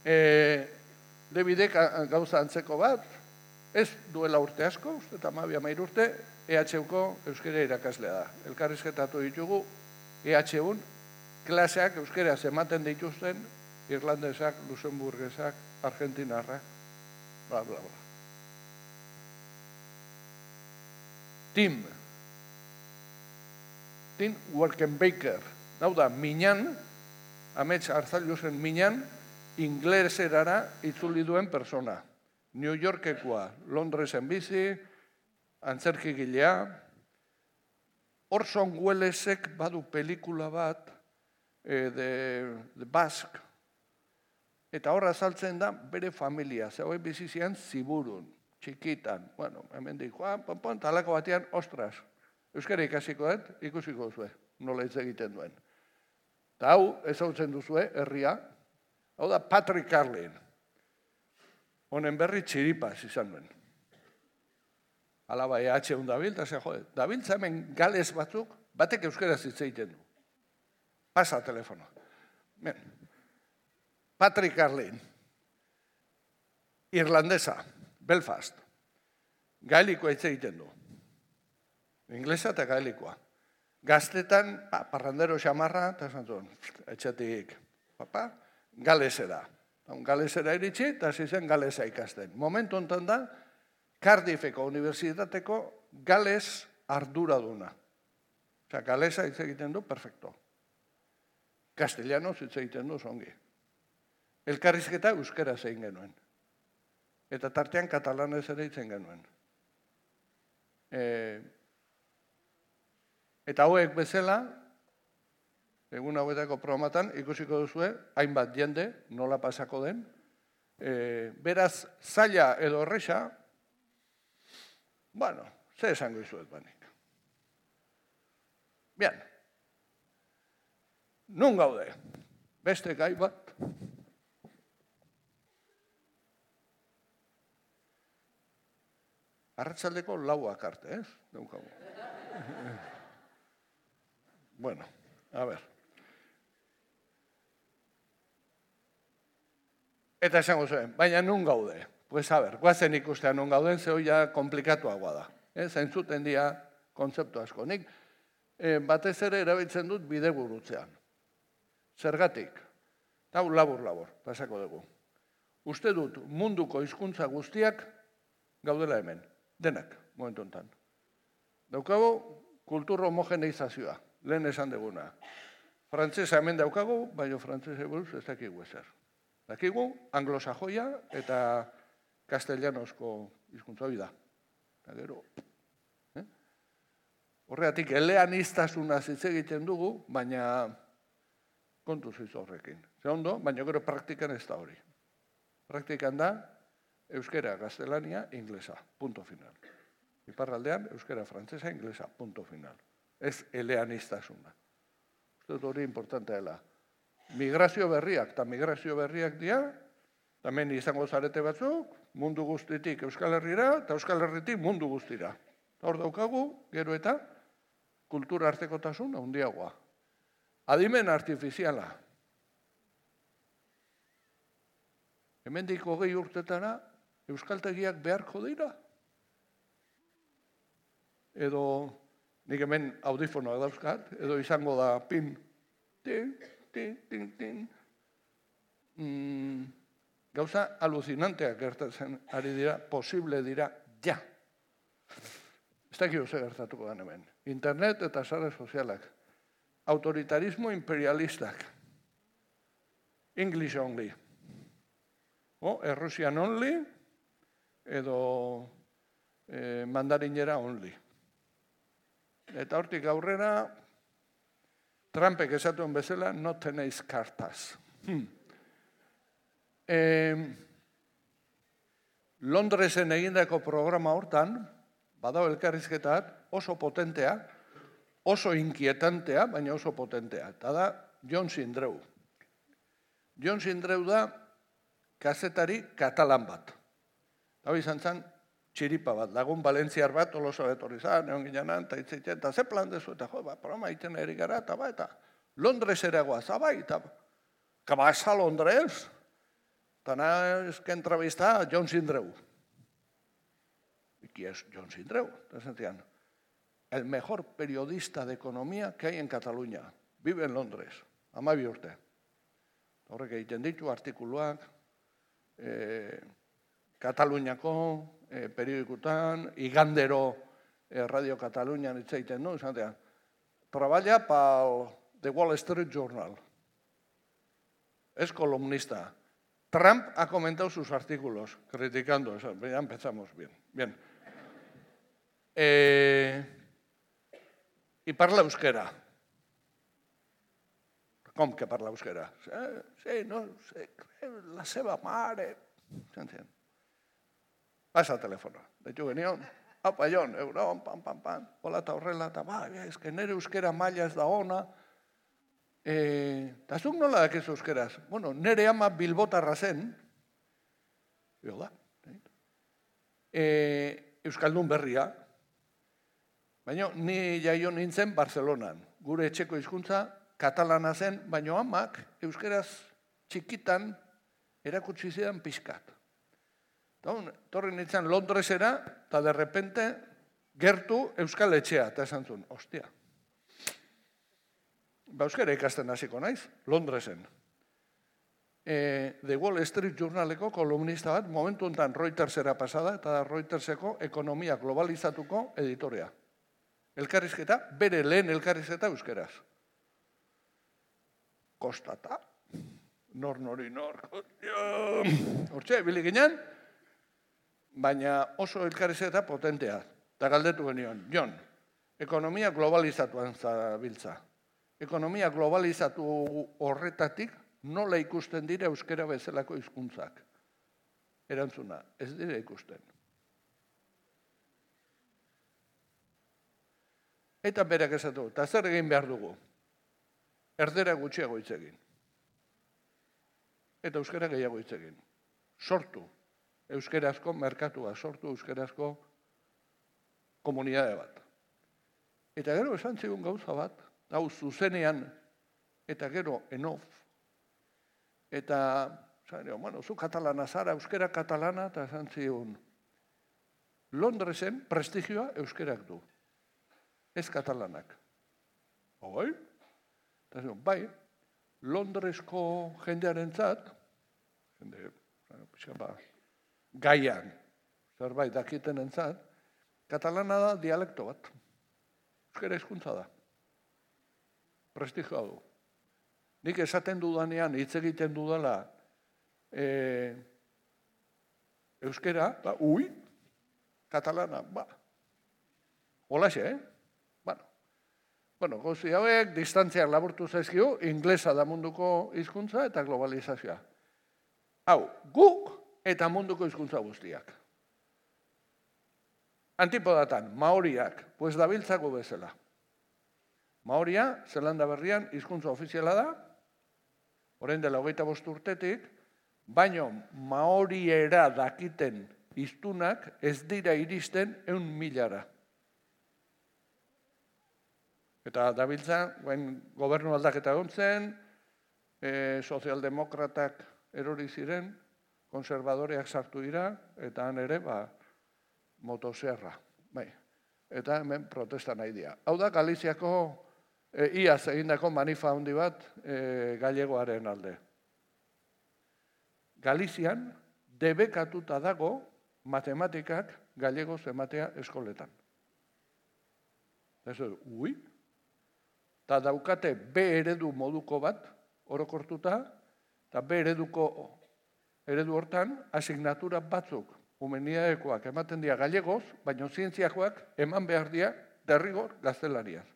eh, Davidek gauza antzeko bat, ez duela urte asko, uste eta mabia mair urte, E H Uko euskera irakaslea da. Elkarrizketatu ditugu E H Un klaseak euskeraz ematen dituzten irlandesak, luxemburgesak, argentinarrak, bla, bla, bla. Tim. Tim Werkenbaker. Hau da, minan, amets Arzailuzen minan, ingleserara itzuli duen persona. New Yorkekoa, Londresen bizi, antzerkigilea. Orson Wellesek badu pelikula bat, eh, de, de Basque, eta horra azaltzen da bere familia, zegoen bizizian ziburun, txikitan, bueno, hemen dik, joan, ponpon, talako batean, ostras, euskara ikasiko dut, ikusiko duzue, nola hitz egiten duen. Eta hau, ezagutzen duzue, herria, hau da Patrick Carlin, honen berri txiripaz izan duen. Alaba E H Un dabil, eta ze jode, dabiltza hemen gales batzuk, batek euskaraz hitz egiten du. Pasa telefono. Ben. Patrick Carlin, irlandesa, Belfast, gaelikoa hitz egiten du. Inglesa eta gaelikoa. Gaztetan, pa, parrandero xamarra, eta esan zuen, etxetik, papa, galesera. Galesera iritsi, eta zizen galesa ikasten. Momentu ontan da, Cardiffeko unibertsitateko gales arduraduna. Osea, galesa hitz egiten du, perfecto. Castellano hitz egiten du, zongi. Elkarrizketa euskera zein genuen. Eta tartean katalanez ere hitzen genuen. E, eta hauek bezala, egun hauetako programatan, ikusiko duzue, hainbat jende, nola pasako den. E, beraz, zaila edo horreza, bueno, ze esango izuet banik. Bien. Nun gaude? Beste gai bat? Arratsaldeko lauak arte, ez? Daukagu. Bueno, a ver. Eta esango zuen, baina nun gaude? Pues a ver, guazen ikustean non gauden, zeo ja komplikatuagoa da. Zaintzuten dira kontzeptu asko. Nik batez ere erabiltzen dut bidegurutzean. Zergatik? Hau labur-labur, pasako dugu. Uste dut munduko hizkuntza guztiak gaudela hemen. Denak, momentu enten. Daukagu kultur homogeneizazioa, lehen esan duguna. Frantzesa hemen daukagu, baina frantzese buruz ez dakigu ezer. Dakigu anglosajoia eta castellanosko hizkuntza hori da. Eta gero, eh? Horregatik, eleaniztasuna hitz egiten dugu, baina kontuz iz horrekin. Ze ondo, baina gero praktikan ez da hori. Praktikan da, euskera, gaztelania, inglesa, punto final. Iparraldean, euskera, frantzesa, inglesa, punto final. Ez eleaniztasuna. Uste dut hori importantea dela. Migrazio berriak, eta migrazio berriak dira, hemen izango zarete batzuk, mundu guztitik Euskal Herrira, eta Euskal Herritik mundu guztira. Hor daukagu, gero eta, kultura artekotasun handiagoa. Adimen artifiziala. Hemendik hogei urtetara, euskaltegiak beharko dira. Edo, nik hemen audifonoak dauzkat, edo izango da pin, tin, tin, tin, tin. Mm, gauza alucinanteak gertatzen ari dira, posible dira, ja. Ez dakio ze gertatuko den hemen. Internet eta sare sozialak. Autoritarismo imperialistak. English only. O, Errusian only, edo eh, mandarinera only. Eta hortik aurrera, Trumpek esatuen bezala, no tenéis cartas. Hmm. Eh, Londresen egindako programa hortan, badago elkarrizketat, oso potentea, oso inkietantea, baina oso potentea. Eta da, John Sindreu. John Sindreu da kazetari katalan bat. Hau izan zen, txiripa bat, lagun balentziar bat, Tolosa betorri zan, egon ginean, eta itzitzen, eta ze plan dezu, eta jo, ba, programa iten eri gara, eta ba, eta Londres ere guaz, abai, eta que vas a Londres, eta naz que entrevista a John Sindreu. ¿Y quién es John Sindreu? Entonces, el mejor periodista de economía que hay en Cataluña. Vive en Londres, amabi urte. Horrek egiten ditu artikuluak, eh, Kataluniako eh, periodikutan, igandero eh, Radio Cataluñan hitz egiten du, esatean. Treballa pal The Wall Street Journal. Es columnista. Trump ha comentado sus artículos, criticando eso. Ya empezamos bien. Bien. Eh, y parla euskera. Com que parla euskera? Sí, no, sí, la seva mare. Pasa el teléfono. De hecho, genion, apa, Jon, euron, pam, pam, pam. Hola, eta horrela, eta ba, es que nere euskera maila ez da ona. Eta zuk nola dakizu euskeraz? Bueno, nere ama bilbotarra zen. Bio da. Euskaldun berria. Baina ni jaio nintzen Barcelonan. Gure etxeko hizkuntza katalana zen, baina amak euskeraz txikitan erakutsi zidan pixkat. Torri nintzen Londresera, eta de repente gertu euskal etxea, eta esan zuen, ostia. Ba, euskara ikasten hasiko naiz, Londresen. The Wall Street Journaleko kolumnista bat, momentu enten Reutersera pasada, eta da Reuterseko ekonomia globalizatuko editorea. Elkarrizketa, bere lehen elkarrizketa euskeraz. Kostata, nor nori nor, hortxe, bili ginen, baina oso elkarrizketa potentea. Eta galdetu genion, Jon, ekonomia globalizatuan zabiltza. Ekonomia globalizatu horretatik nola ikusten dira euskera bezalako hizkuntzak. Erantzuna, ez dira ikusten. Eta berak esatu, eta zer egin behar dugu? Erdera gutxiago hitz egin. Eta euskera gehiago hitz egin. Sortu euskerazko merkatua, sortu euskerazko komunidade bat. Eta gero esan zigun gauza bat, hau zuzenean, eta gero enof. Eta, bueno, zu katalana zara, euskera katalana, eta esan zigun, Londresen prestigioa euskerak du. Ez katalanak. Bai? Eta zigun, bai, Londresko jendearen zat, jende, ba, gaian, zerbait dakiten entzat, katalana da dialekto bat. Euskera hizkuntza da. Prestigioa du. Nik esaten dudanean, hitz egiten dudala, e, euskera, ba, ui, katalana, ba. Holaxe, eh? Bueno, bueno, gauzi hauek, distantziak laburtu zaizkio, inglesa da munduko hizkuntza eta globalizazioa. Hau, guk eta munduko hizkuntza guztiak. Antipodatan, maoriak, pues dabiltzako bezala. Maoria, Zelanda Berrian, hizkuntza ofiziala da, orain dela hogeita bost urtetik, baino maoriera dakiten hiztunak ez dira iristen ehun milara. Eta dabiltza, guen gobernu aldaketa gontzen, e, sozialdemokratak erori ziren, konservadoreak sartu dira, eta han ere, ba, motoserra. Bai. Eta hemen protesta nahi dira. Hau da, Galiziako E, iaz egindako manifa handi bat e, gallegoaren alde. Galizian debekatuta dago matematikak gallegoz ematea eskoletan. Eta ui, eta daukate B eredu moduko bat, orokortuta, eta B ereduko eredu hortan, asignatura batzuk, humanidadekoak ematen dira gallegoz, baina zientziakoak eman behar dira derrigor gaztelaniaz.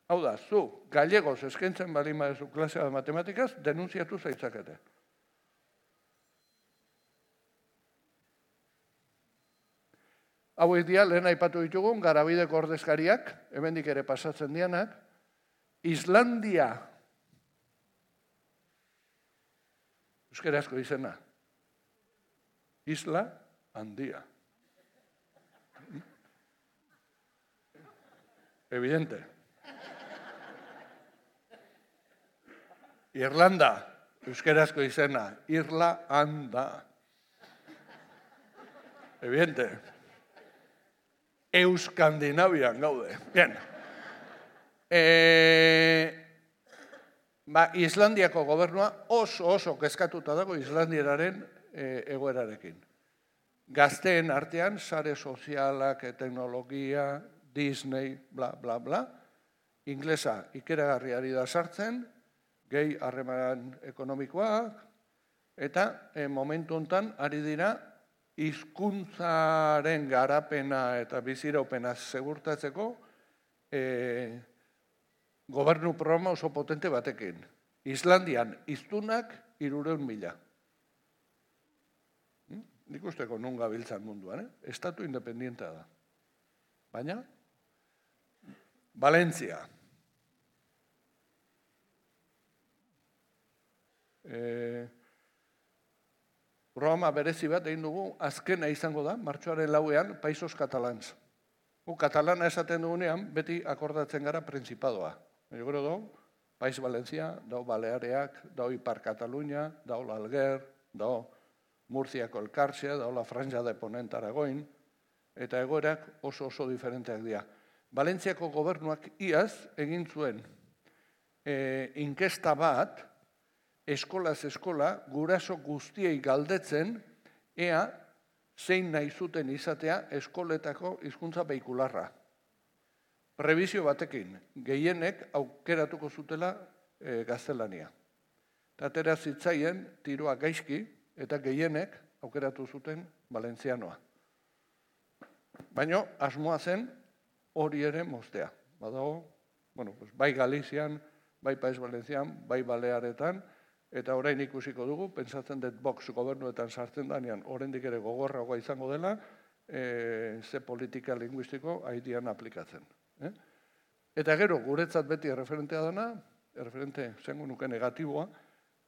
Hau da, zu, gallegoz eskaintzen balin badezu klasea de matematikaz, denunziatu zaitzakete. Hauek dia, lehen aipatu ditugun, Garabideko ordezkariak, hemendik ere pasatzen dianak, Islandia, euskerazko izena, Isla handia. evidente. Irlanda, euskerazko izena, Irla-anda. Evidente. Euskandinavian gaude. Bien. E, ba, Islandiako gobernua oso oso kezkatuta dago Islandiararen e, egoerarekin. Gazteen artean, sare sozialak, teknologia, Disney, bla, bla, bla. Inglesa ikeragarriari da sartzen, gehi harreman ekonomikoak, eta e, momentu hontan ari dira hizkuntzaren garapena eta biziraupena segurtatzeko e, gobernu programa oso potente batekin. Islandian hiztunak hirurehun mila. Hmm? Nik usteko non gabiltzan munduan, eh? Estatu independientea da. Baina, Valentzia. Eh, programa berezi bat egin dugu, azkena izango da, martxoaren lauean, Paisos Catalans. Gu katalana esaten dugunean, beti akordatzen gara Principadoa. Gero do, Pais Valentzia, dau Baleareak, dau Ipar Katalunia, dau l'Alguer, dau Murziako Elkartzea, dau la Franja de Ponent Aragoin, eta egoerak oso oso diferenteak dira. Valentziako gobernuak iaz egin zuen e, inkesta bat, eskolaz eskola, guraso guztiei galdetzen, ea zein nahi zuten izatea eskoletako hizkuntza veikularra. Prebizio batekin, gehienek aukeratuko zutela e, gaztelania. Tatera zitzaien tiroa gaizki, eta gehienek aukeratu zuten valentzianoa. Baina asmoa zen hori ere moztea. Badago, bueno, pues, bai Galizian, bai Pais Valentzian, bai Balearetan, eta orain ikusiko dugu, pentsatzen dut Vox gobernuetan sartzen danean, oraindik ere gogorragoa izango dela, e, ze politika linguistiko haidian aplikatzen. Eh? Eta gero, guretzat beti erreferentea dana, erreferente zengu nuke negatiboa,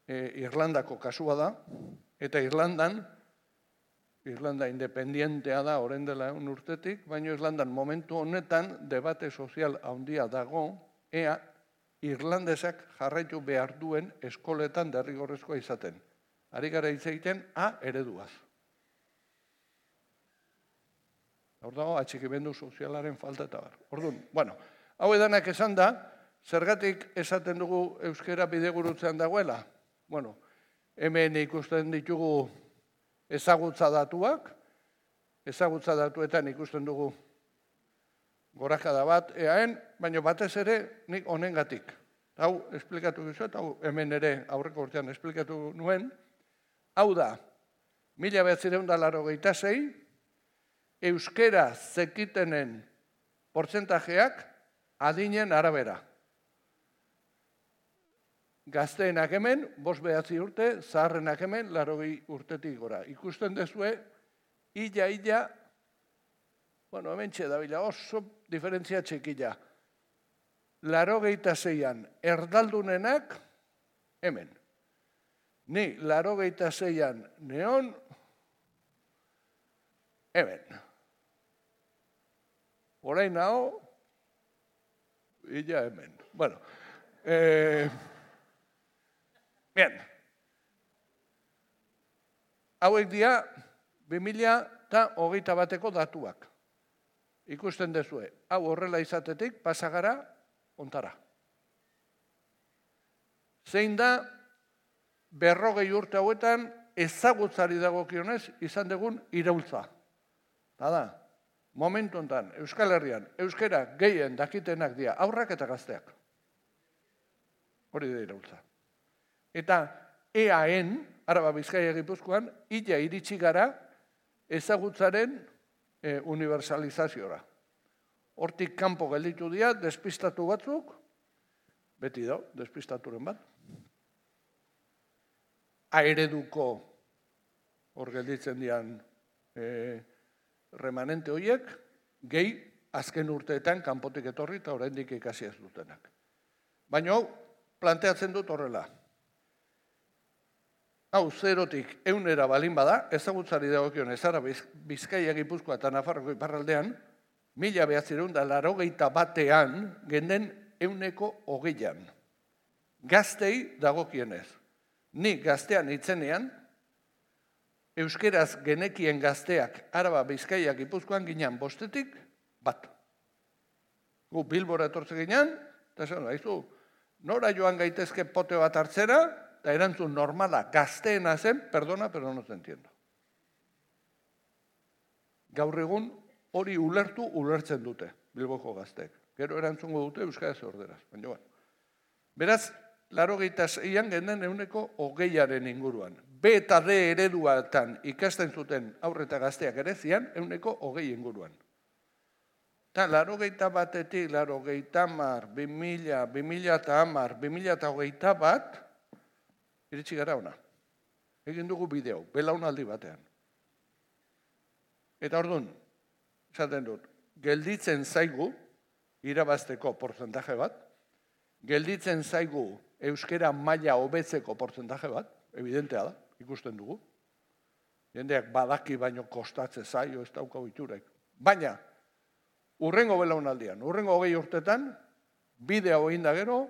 e, Irlandako kasua da, eta Irlandan, Irlanda independientea da orain dela un urtetik, baina Irlandan momentu honetan debate sozial handia dago, ea irlandesak jarraitu behar duen eskoletan derrigorrezkoa izaten. Ari gara hitz egiten A ereduaz. Hor dago, atxikimendu sozialaren falta eta bar. Orduan, bueno, hau edanak esan da, zergatik esaten dugu euskera bidegurutzean dagoela? Bueno, hemen ikusten ditugu ezagutza datuak, ezagutza datuetan ikusten dugu gorakada bat eaen, baina batez ere nik honengatik. Hau esplikatu gizuet, hau hemen ere aurreko urtean esplikatu nuen. Hau da, mila bederatziehun eta laurogeita sei, euskera zekitenen portzentajeak adinen arabera. Gazteenak hemen, bost behatzi urte, zaharrenak hemen, laurogei urtetik gora. Ikusten dezue, illa-illa, bueno, hemen txedabila, oso diferentzia txekila. Laurogeita seian erdaldunenak, hemen. Ni laurogeita seian neon, hemen. Orain hau, illa hemen. Bueno, eh... Bien, hauek dira bi mila hogeita bateko datuak. Ikusten dezue, hau horrela izatetik pasagara ontara. Zein da berrogei urte hauetan ezagutzari dagokionez izan dugun iraultza. Da, momentu hontan Euskal Herrian, euskera gehien dakitenak dira aurrak eta gazteak. Hori da iraultza. Eta eaen, Araba Bizkaia Gipuzkoan, illa iritsi gara ezagutzaren e, universalizaziora. Hortik kanpo gelditu dira, despistatu batzuk, beti da, despistaturen bat. Aereduko hor gelditzen dian e, remanente horiek, gehi azken urteetan kanpotik etorri eta oraindik ikasi ez dutenak. Baina hau, planteatzen dut horrela. Hau, zerotik eunera balin bada, ezagutzari dagokion ezara Bizkaia Gipuzkoa eta Nafarroko iparraldean, mila behatzireun da laurogeita batean genden euneko hogeian. Gaztei dagokienez. Ni gaztean itzenean, euskeraz genekien gazteak Araba, Bizkaia, Gipuzkoan ginean bostetik bat. Gu Bilbora etortze ginean, eta esan, haizu, nora joan gaitezke pote bat hartzera, eta erantzun normala gazteena zen, perdona, pero no te entiendo. Gaur egun hori ulertu ulertzen dute, Bilboko gazteek. Gero erantzungo dute euskaraz orderaz. Baina, bueno. Beraz, laurogeita seian genden euneko hogeiaren inguruan. B eta D ereduatan ikasten zuten aurreta gazteak ere zian, euneko hogei inguruan. Eta laurogeita batetik, laurogeita hamar, bi mila, bi mila eta hamar, bi mila eta hogeita bat, iritsi gara ona. Egin dugu bideo, belaunaldi batean. Eta orduan, esaten dut, gelditzen zaigu, irabazteko portzentaje bat, gelditzen zaigu euskera maila hobetzeko portzentaje bat, evidentea da, ikusten dugu. Jendeak badaki baino kostatze zaio, ez daukagu itxurek. Baina, urrengo belaunaldian, urrengo hogei urtetan, bidea egin da gero,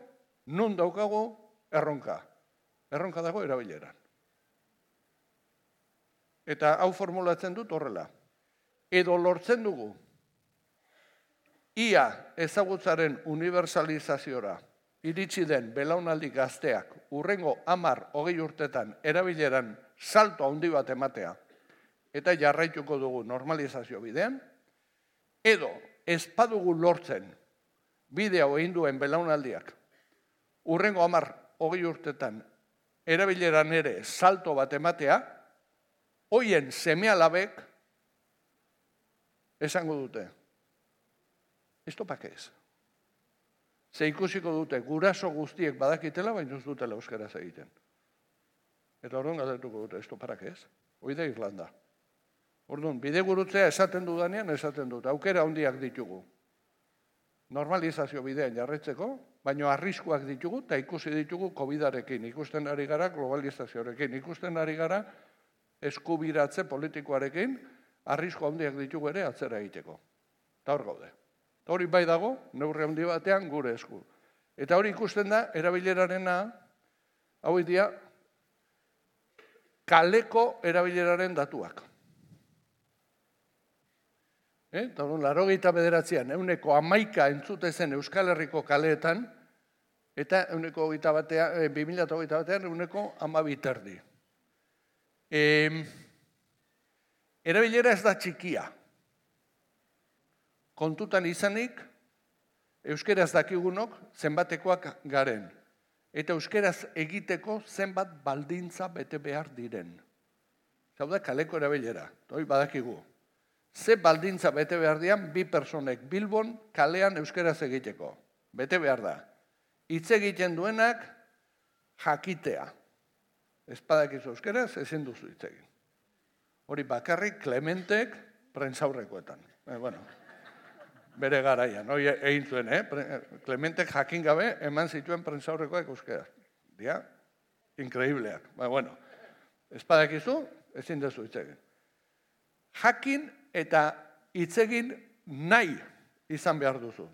nun daukagu erronka. Erronka dago erabileran. Eta hau formulatzen dut horrela. Edo lortzen dugu, ia ezagutzaren universalizaziora iritsi den belaunaldi gazteak urrengo hamar hogei urtetan erabileran salto handi bat ematea eta jarraituko dugu normalizazio bidean, edo ez badugu lortzen bidea egin duen belaunaldiak urrengo hamar hogei urtetan erabileran ere salto bat ematea, hoien seme-alabek esango dute, esto pa qué es? Ze ikusiko dute, guraso guztiek badakitela, baina ez dutela euskaraz egiten. Eta orduan galdetuko dute, esto para qué es? Hoi da Irlanda. Orduan, bide gurutzea esaten dudanean, esaten dut, aukera handiak ditugu. Normalizazio bidean jarretzeko, baina arriskuak ditugu, eta ikusi ditugu kobidarekin, ikusten ari gara globalizazioarekin, ikusten ari gara eskubiratze politikoarekin, arrisku handiak ditugu ere atzera egiteko. Eta hor gaude. Eta hori bai dago, neurri handi batean gure esku. Eta hori ikusten da, erabilerarena, hau dira, kaleko erabileraren datuak. Eta hori, laurogeita bederatzean, euneko hamaika entzute zen Euskal Herriko kaleetan, eta euneko hogeita batean, bi mila hogeita batean, euneko hamabi terdi. Erabilera ez da txikia. Kontutan izanik, euskeraz dakigunok zenbatekoak garen. Eta euskeraz egiteko zenbat baldintza bete behar diren. Zau da, kaleko erabilera. Hoi badakigu. Ze baldintza bete behar dian bi personek Bilbon kalean euskeraz egiteko. Bete behar da. Hitz egiten duenak jakitea. Ez badakizu euskeraz, ezin duzu hitz egin. Hori bakarrik Klementek prentsaurrekoetan. Eh, bueno, bere garaian, hori egin zuen, eh? Klementek jakin gabe eman zituen prentsaurrekoak euskeraz. Dia, inkreibleak. Ba, bueno, ez badakizu, ezin duzu hitz egin. Jakin eta hitz egin nahi izan behar duzu.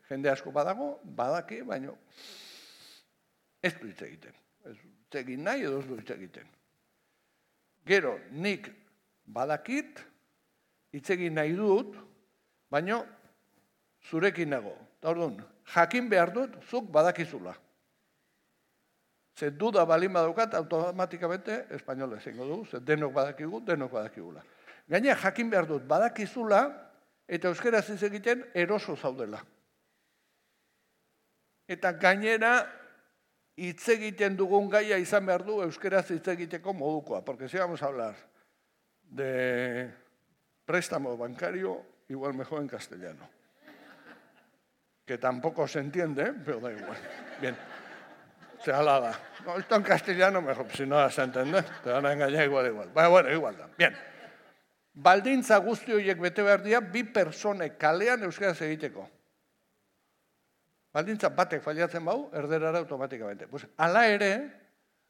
Jende asko badago, badaki, baina ez du hitz egiten. Ez du hitz egin nahi edo ez du hitz egiten. Gero, nik badakit, hitz egin nahi dut, baina zurekin nago. Eta orduan, jakin behar dut, zuk badakizula. Ze duda balin badaukat, automatikamente espainola ezingo dugu, ze denok badakigu, denok badakigula. Gainera, jakin behar dut, badakizula, eta euskeraz hitz egiten eroso zaudela. Eta gainera, hitz egiten dugun gaia izan behar du euskeraz hitz egiteko modukoa, porque si vamos a hablar de préstamo bancario, igual mejor en castellano. Que tampoco se entiende, pero da igual. Bien. Se alaba. No, esto en castellano mejor, si no vas a entender, te van a engañar igual, igual. Bueno, bueno, igual da. Bien. Baldintza guzti horiek bete behar dira, bi personek kalean euskaraz egiteko. Baldintza batek faliatzen bau, erderara automatikamente. Pues, ala ere,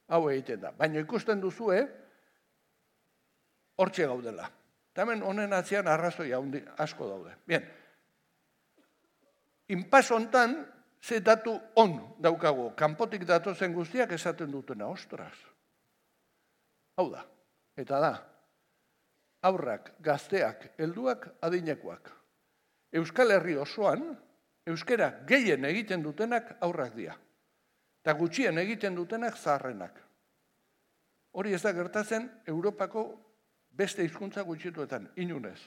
hau egiten da. Baina ikusten duzue, hortxe gaudela. Eta hemen honen atzean arrazoi asko daude. Bien, inpas hontan, ze datu on daukagu, kanpotik datozen guztiak esaten dutena, ostras. Hau da, eta da, aurrak, gazteak, helduak, adinekoak. Euskal Herri osoan, euskera gehien egiten dutenak aurrak dira. Eta gutxien egiten dutenak zaharrenak. Hori ez da gertatzen Europako beste hizkuntza gutxituetan, inunez.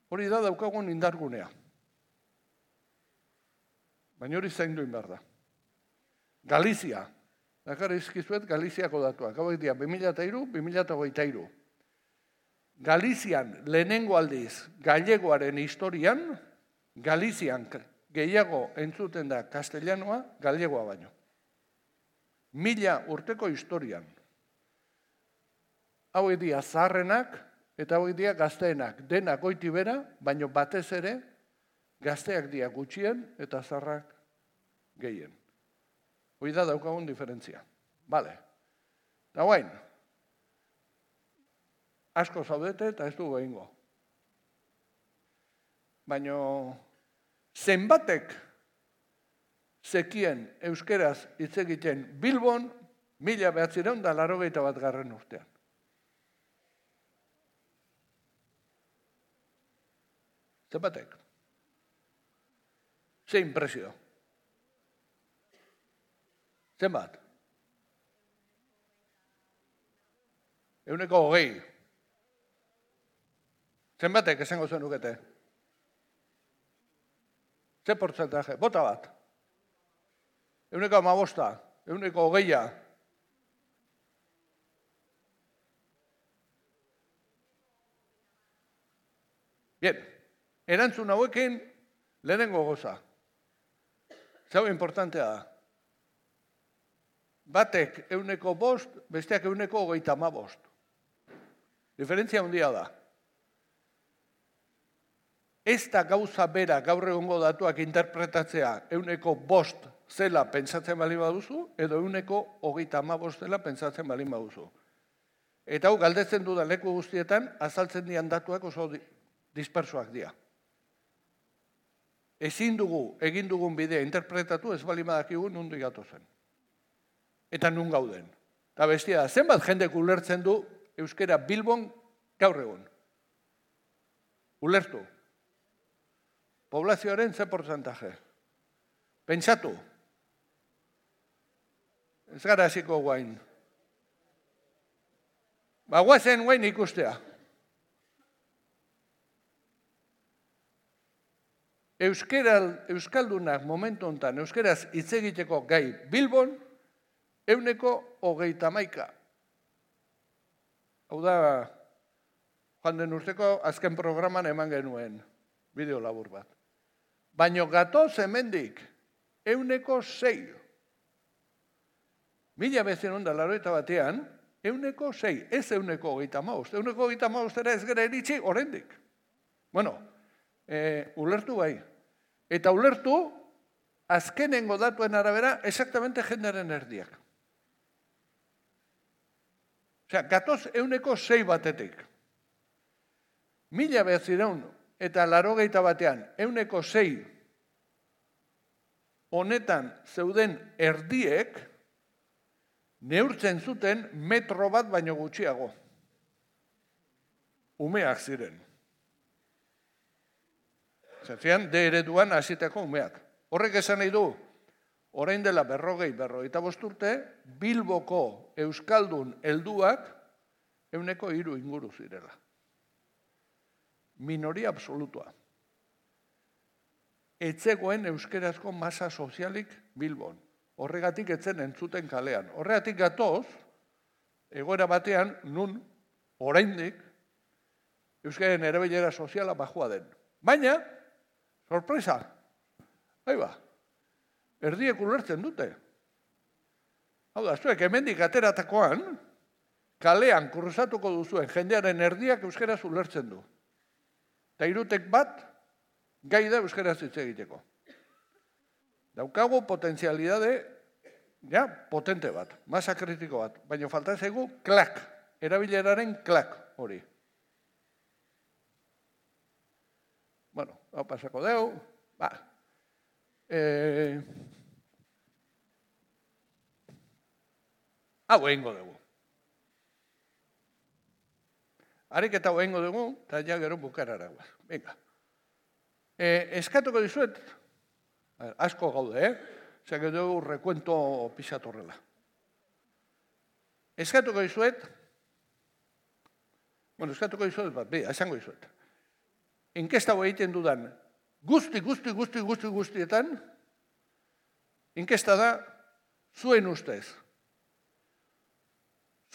Hori da daukagun indargunea. Baina hori zaindu behar da. Galizia. Dakar izkizuet Galiziako datuak. Hauek dira, bi mila hiru, bi mila hogeita hiru. Galizian lehenengo aldiz gallegoaren historian, Galizian gehiago entzuten da castellanoa, gallegoa baino. Mila urteko historian. Hauek dira zaharrenak eta hauek dira gazteenak. Denak goiti bera, baino batez ere gazteak dira gutxien eta zaharrak gehien. Hoi da daukagun diferentzia. Bale. Eta guain, asko zaudete eta ez dugu egingo. Baina zenbatek zekien euskeraz hitz egiten Bilbon mila behatzireun da laurogeita bat garren urtean. Zenbatek? Ze impresio? Zenbat? Euneko hogei. Zenbatek esango zen nukete? Ze portzentaje? Bota bat. Euneko amabosta. Euneko hogeia. Bien. Erantzun hauekin lehenengo goza. Zau importantea da. Batek euneko bost, besteak euneko hogeita ama bost. Diferentzia handia da. Ez da gauza bera gaur egungo datuak interpretatzea euneko bost zela pentsatzen bali baduzu, edo euneko hogeita ama bost zela pentsatzen bali baduzu. Eta hau galdetzen dudan leku guztietan, azaltzen dian datuak oso dispersoak dira. Ezin dugu, egin dugun bidea interpretatu, ez bali badakigu nundu gatozen. Eta nun gauden. Eta bestia da, zenbat jendek ulertzen du euskera Bilbon gaur egun. Ulertu. Poblazioaren ze portzentaje. Pentsatu. Ez gara hasiko guain. Ba, guazen guain ikustea. Euskera, euskaldunak momentu honetan, euskeraz hitz egiteko gai Bilbon, euneko hogeita hamaika. Hau da, joan den urteko azken programan eman genuen bideo labur bat. Baina gatoz hemendik euneko sei. Mila bezen onda laurogeita batean, euneko sei, ez euneko hogeita hamabost. Euneko hogeita hamabostera ez gara eritzi oraindik. Bueno, e, ulertu bai. Eta ulertu, azkenengo datuen arabera, exactamente jendearen erdiak. Osea, gatoz euneko sei batetik. Mila behatzireun eta laurogeita batean euneko sei honetan zeuden erdiek neurtzen zuten metro bat baino gutxiago. Umeak ziren. Zentzian, de ereduan hasitako umeak. Horrek esan nahi du, orain dela berrogei, berrogeita bost urte, Bilboko euskaldun helduak euneko hiru inguru zirela. Minoria absolutua. Etzegoen euskerazko masa sozialik Bilbon. Horregatik etzen entzuten kalean. Horregatik gatoz, egoera batean, nun, oraindik, euskaren erabilera soziala bajua den. Baina, sorpresa, haiba, erdiek ulertzen dute. Hau da, zuek hemendik ateratakoan, kalean kruzatuko duzuen jendearen erdiak euskaraz ulertzen du. Eta irutek bat, gai da euskaraz hitz egiteko. Daukagu potentzialidade, ja, potente bat, masa kritiko bat, baina falta zaigu klak, erabileraren klak hori. Bueno, hau pasako deu, Ba, eh, hau egingo dugu. Ariketa hau egingo dugu, eta ja gero bukarara guaz. Venga. Eh, eskatuko dizuet, asko gaude, eh? Zake dugu rekuento pisatorrela. Eskatuko dizuet, bueno, eskatuko dizuet, bat, bi, esango dizuet. Inkesta hau egiten dudan, guzti, guzti, guzti, guzti, guztietan, inkesta da, zuen ustez.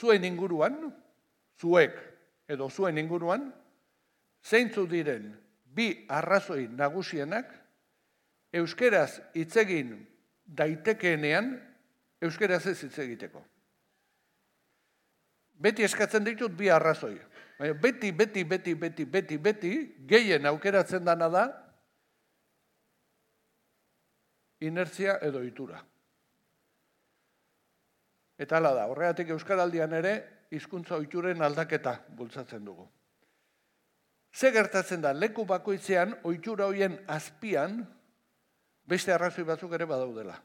Zuen inguruan, zuek edo zuen inguruan, zeintzu diren bi arrazoi nagusienak, euskeraz hitz egin daitekeenean, euskeraz ez hitz egiteko. Beti eskatzen ditut bi arrazoi. Baina beti, beti, beti, beti, beti, beti, gehien aukeratzen dana da, inertzia edo itura. Eta hala da, horregatik euskaraldian ere, hizkuntza ohituren aldaketa bultzatzen dugu. Ze gertatzen da, leku bakoitzean, ohitura horien azpian, beste arrazoi batzuk ere badaudela.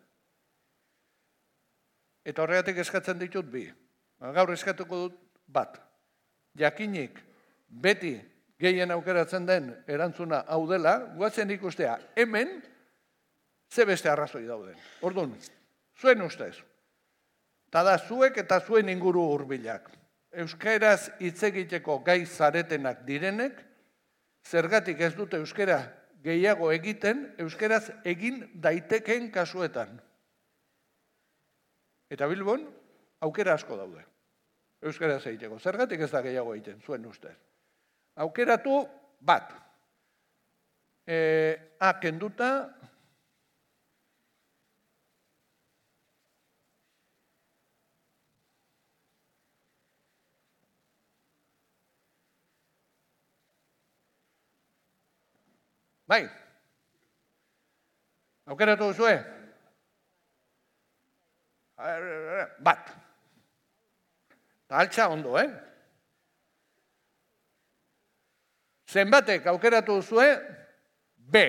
Eta horregatik eskatzen ditut bi. Gaur eskatuko dut bat. Jakinik beti gehien aukeratzen den erantzuna hau dela, guatzen ikustea hemen ze beste arrazoi dauden. Orduan, zuen ustez. Eta da zuek eta zuen inguru hurbilak. Euskaraz hitz egiteko gai zaretenak direnek, zergatik ez dute euskara gehiago egiten, euskaraz egin daitekeen kasuetan. Eta Bilbon, aukera asko daude. Euskaraz egiteko. Zergatik ez da gehiago egiten, zuen ustez. Aukeratu bat. E, A, kenduta. Bai. Aukeratu duzue? Bat. Altxa ondo, eh? Zenbatek aukeratu duzue? B.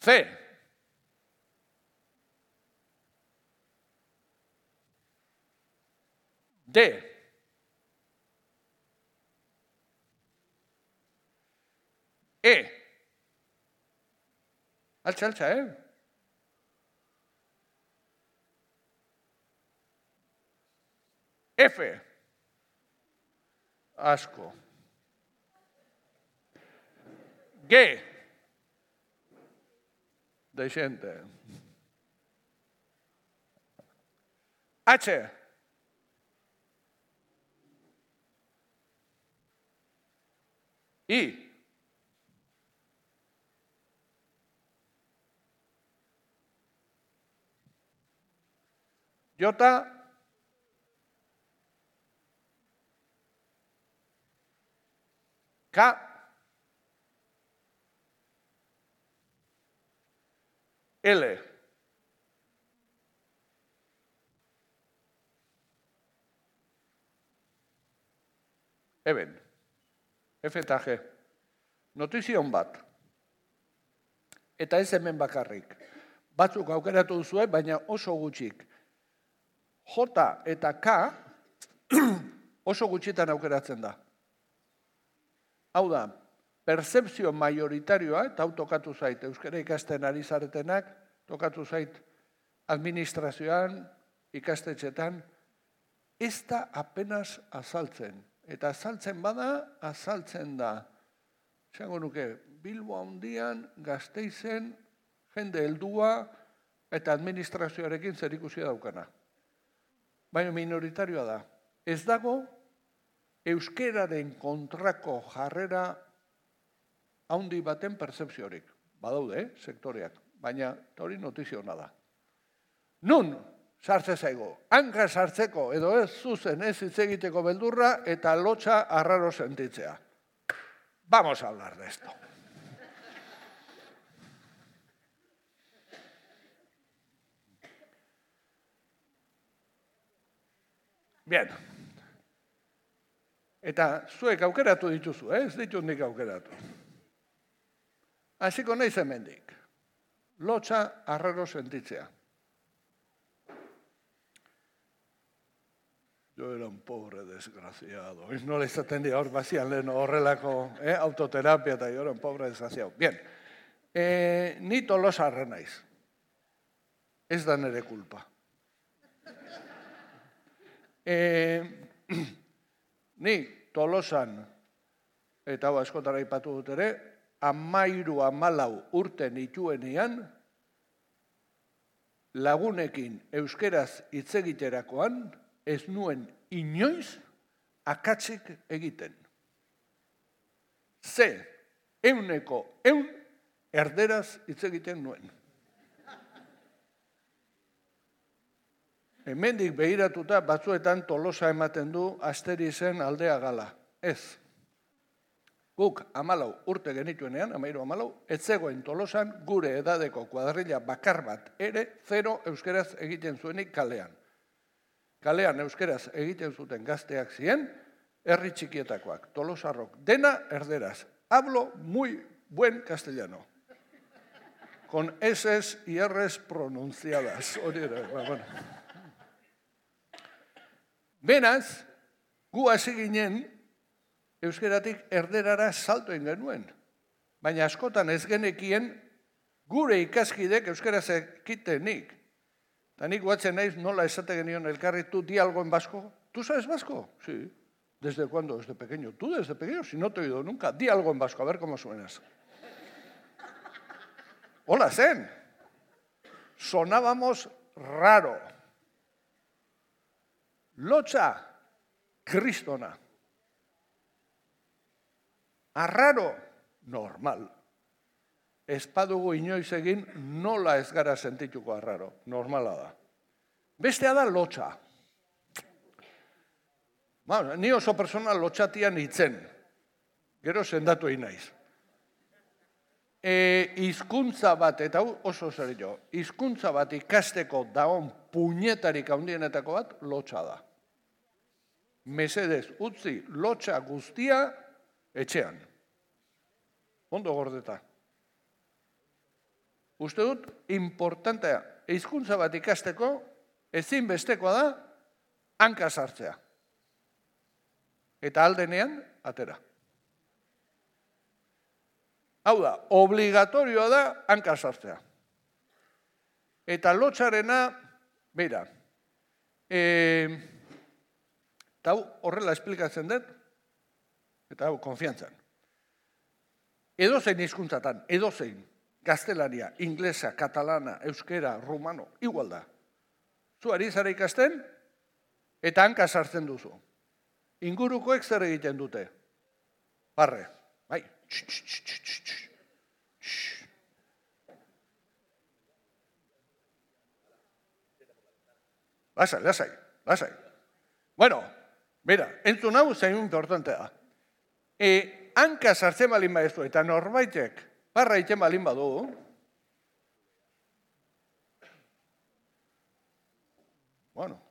C. D. E. Altxa, altxa, eh? F. Asko. G. Deixente. H. I. J. K. L. Eben. F eta G. Notizion bat. Eta ez hemen bakarrik. Batzuk aukeratu duzue, baina oso gutxik. J eta K oso gutxitan aukeratzen da. Hau da, percepzio majoritarioa, eta hau tokatu zait, euskara ikasten ari zaretenak, tokatu zait administrazioan, ikastetxetan, ez da apenas azaltzen. Eta azaltzen bada, azaltzen da. Esango nuke, Bilbo handian, Gasteizen, jende heldua, eta administrazioarekin zerikusia daukana. Baina minoritarioa da. Ez dago, euskeraren kontrako jarrera handi baten percepziorik. Badaude, eh, sektoreak, baina hori notizio hona da. Nun, sartze zaigo, hanka sartzeko edo ez zuzen ez hitz egiteko beldurra eta lotxa arraro sentitzea. Vamos a hablar de esto. Bien. Eta zuek aukeratu dituzu, eh? Ez ditut nik aukeratu. Hasiko naiz hemendik. Lotsa arraro sentitzea. Yo era un pobre desgraciado. Nola izaten dira hor bazian lehen horrelako eh? autoterapia eta yo era un pobre desgraciado. Bien, eh, ni tolosarra naiz. Ez da nere kulpa. Eh, ni Tolosan, eta hau askotara ipatu dut ere, amairu amalau urte nituenean, lagunekin euskeraz hitz egiterakoan, ez nuen inoiz akatsik egiten. Ze, euneko eun erderaz hitz egiten nuen. Hemendik behiratuta batzuetan Tolosa ematen du Asterizen aldea gala. Ez. Guk amalau urte genituenean, amairu amalau, ez zegoen Tolosan gure edadeko kuadrilla bakar bat ere zero euskeraz egiten zuenik kalean. Kalean euskeraz egiten zuten gazteak ziren, herri txikietakoak, Tolosarrok, dena erderaz. Hablo muy buen castellano. Con eses y erres pronunciadas. Hori ere, bueno. Benaz, gu hasi ginen euskeratik erderara salto egin genuen. Baina askotan ez genekien gure ikaskidek euskaraz ekitenik. Eta nik guatzen naiz nola esate genion elkarri, tu di algo en vasco. ¿Tú sabes vasco? Sí. ¿Desde cuándo? Desde pequeño. ¿Tú desde pequeño? Si no te he oído nunca. Di algo en vasco, a ver cómo suenas. Hola, zen. Sonábamos raro. Lotsa, kristona. Arraro, normal. Ez badugu inoiz egin nola ez gara sentituko arraro. Normala da. Bestea da lotsa. Ba, ni oso persona lotxatian hitzen. Gero sendatu egin naiz. E, hizkuntza bat, eta oso zer jo, hizkuntza bat ikasteko daon puñetarik handienetako bat lotsa da. Mesedez, utzi lotsa guztia etxean. Ondo gordeta. Uste dut, importantea, hizkuntza bat ikasteko, ezinbestekoa da, hanka sartzea. Eta aldenean, atera. Hau da, obligatorioa da hanka sartzea. Eta lotxarena, beira, e, eta hau horrela esplikatzen dut, eta hau konfiantzan. Edozein hizkuntzatan, edozein, gaztelania, inglesa, katalana, euskera, rumano, igual da. Zu ari zara ikasten, eta hanka sartzen duzu. Ingurukoek zer egiten dute? Barre, bai. Lasai, lasai, lasai. Bueno, mira, entzun hau zein importantea. E, hanka sartzen balin badezu eta norbaitek barra egiten balin badu, bueno,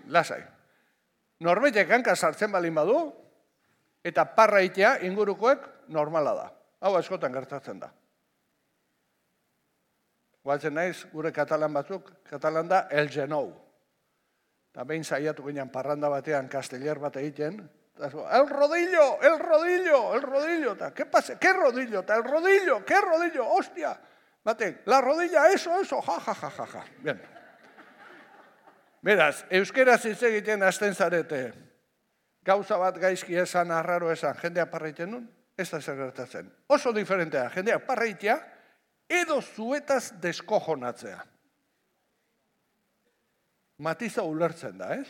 lasai. Norbaitek hanka sartzen balin badu, eta parra egitea ingurukoek normala da. Hau askotan gertatzen da. Guatzen naiz, gure katalan batzuk, katalan da el genou. Eta behin saiatu ginen parranda batean casteller bat egiten, el rodillo, el rodillo, el rodillo, eta, ¿qué pasa? ¿Qué rodillo? Eta, el rodillo, ¿qué rodillo? Hostia! Batek, la rodilla, eso, eso, ja, ja, ja, ja, ja. Bien. Beraz, euskeraz hitz egiten hasten zarete, gauza bat gaizki esan, arraro esan, jendea parra egiten nun, ez da zer gertatzen. Oso diferentea, jendea parra egitea, edo zuetaz deskojonatzea. Matiza ulertzen da, ez?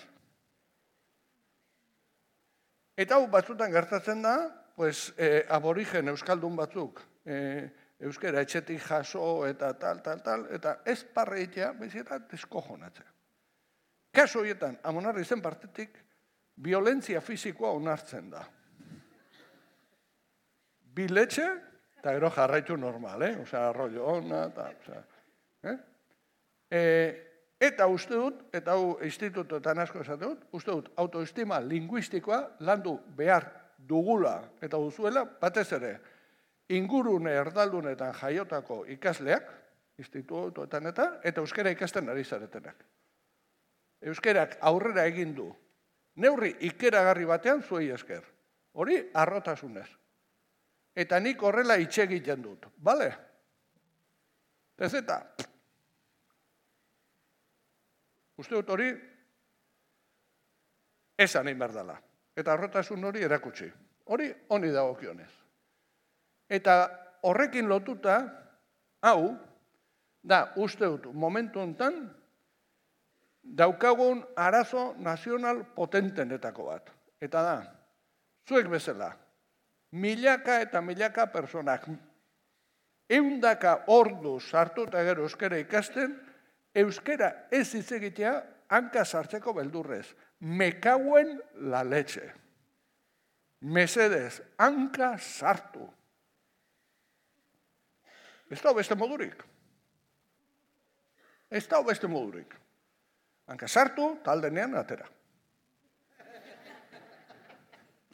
Eta hau batzutan gertatzen da, pues, eh, aborigen euskaldun batzuk, eh, euskera etxetik jaso eta tal, tal, tal, eta ez parra egitea, bezita deskojonatzea. Kaso horietan, Amonarri zen partetik, violentzia fisikoa onartzen da. Biletxe, eta gero jarraitu normal, eh? Osea, arroio ona, eta, osea, eh? E, Eta uste dut, eta hau institutoetan asko esate dut, uste dut autoestima linguistikoa landu behar dugula eta duzuela, batez ere, ingurune erdaldunetan jaiotako ikasleak, institutoetan eta, eta euskara ikasten ari zaretenak. Euskarak aurrera egin du, neurri ikeragarri batean zuei esker. Hori harrotasunez. Eta nik horrela itxe egiten dut, bale? Ez eta, uste dut hori, esan egin behar dela. Eta harrotasun hori erakutsi. Hori honi dagokionez. Eta horrekin lotuta, hau, da, uste dut, momentu honetan, daukagun arazo nazional potentenetako bat. Eta da, zuek bezala, milaka eta milaka personak, eundaka ordu sartu eta gero euskara ikasten, euskara ez hitz egitea hanka sartzeko beldurrez. Me cauen la leche. Mesedez, hanka sartu. Ez da beste modurik. Ez da beste modurik. Hanka sartu, eta aldenean atera.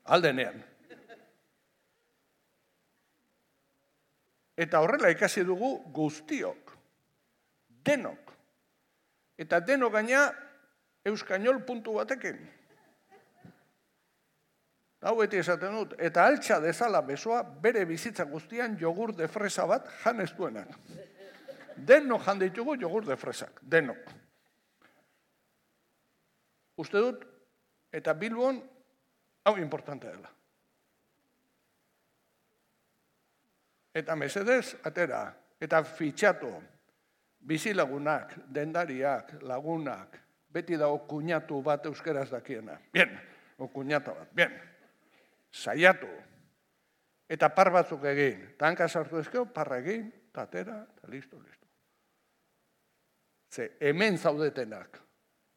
Aldenean. Eta horrela ikasi dugu guztiok. Denok. Eta denok gaina euskainol puntu batekin. Hau beti esaten dut, eta altxa dezala besoa bere bizitza guztian jogur de fresa bat jan ez duenak. Denok jan ditugu jogur de fresak, denok. Uste dut, eta Bilbon, hau importante dela. Eta mesedez, atera, eta fitxatu, bizilagunak, dendariak, lagunak, beti dago kuñatu bat euskeraz dakiena. Bien, o kuñata bat, bien. Saiatu. Eta par batzuk egin. Ta hanka sartu ezkeo, parra egin, ta atera, eta listo, listo. Ze, hemen zaudetenak.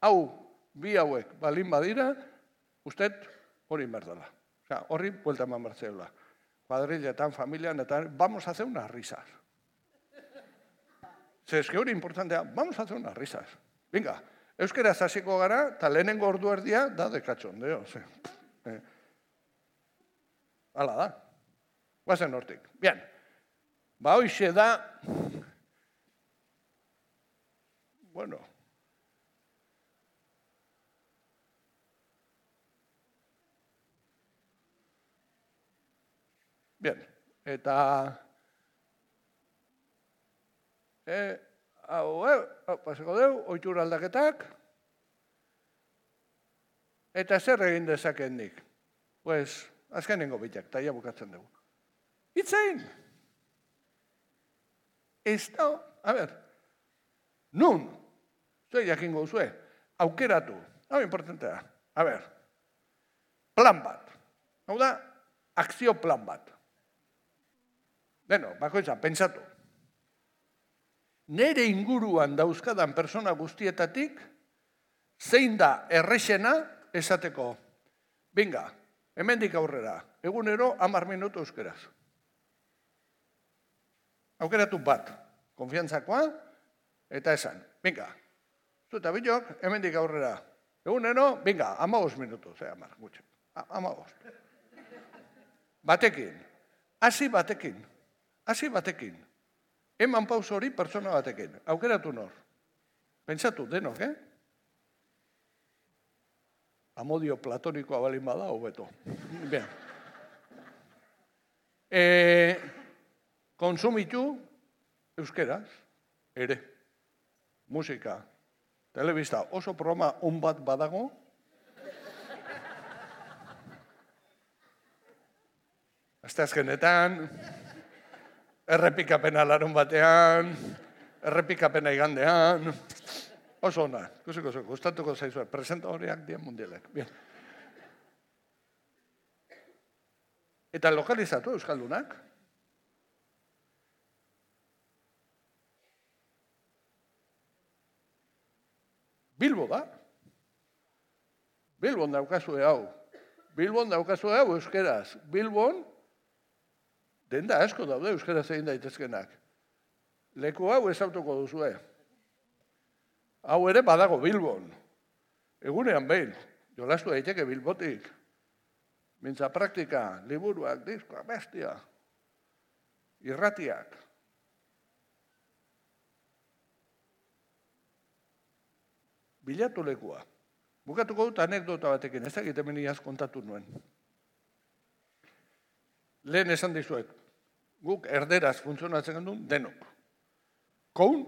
Hau, bi hauek, balin badira, usted hori inberdala. Osea, horri buelta eman bertzeula. Kuadrilletan, familian, eta vamos a hacer unas risas. Ze, eske hori importantea, vamos a hacer unas risas. Venga, euskeraz hasiko gara, eta lehenengo ordu erdia, da dekatxondeo. Ze, eh. Hala da. Guazen hortik. Bien. Ba, hoixe da... Bueno... Bien. Eta... Eh, hau, hau, paseko deu, oitura aldaketak. Eta zer egin dezaken nik? Pues... Azkenengo bitak, eta ia bukatzen dugu. Itzein! Ez da, a ber, nun, zue jakingo zue, aukeratu, hau importantea, a ber, plan bat, hau da, akzio plan bat. Beno, bakoitza, pentsatu. Nere inguruan dauzkadan persona guztietatik, zein da errexena esateko, binga, hemendik aurrera, egunero hamar minutu euskeraz. Aukeratu bat, konfiantzakoa, eta esan, binga, zueta bilok, hemendik aurrera, egunero, binga, hamabost minutu, ze hamar, gutxe, hamabost. Batekin, hasi batekin, hasi batekin, eman paus hori pertsona batekin, aukeratu nor. Pentsatu, denok, eh? Amodio platonikoa balin bada, hobeto. Bien. E, konsumitu euskeraz, ere. Musika, telebista, oso programa on bat badago. Asteazkenetan, errepikapena larun batean, errepikapena igandean, oso ona, kusiko zuko, gustatuko zaizue, presentadoriak dien mundialek. Bien. Eta lokalizatu euskaldunak. Bilbo da. Bilbon daukazue hau. Bilbon daukazue hau euskeraz. Bilbon, denda asko daude euskeraz egin daitezkenak. Leku hau ezautuko duzue. hau ere badago Bilbon. Egunean behin, jolastu daiteke Bilbotik. Mintza praktika, liburuak, diskoak, bestia. Irratiak. Bilatu lekua. Bukatuko dut anekdota batekin, ez egiten meniaz kontatu nuen. Lehen esan dizuet, guk erderaz funtzionatzen genuen denok. Koun,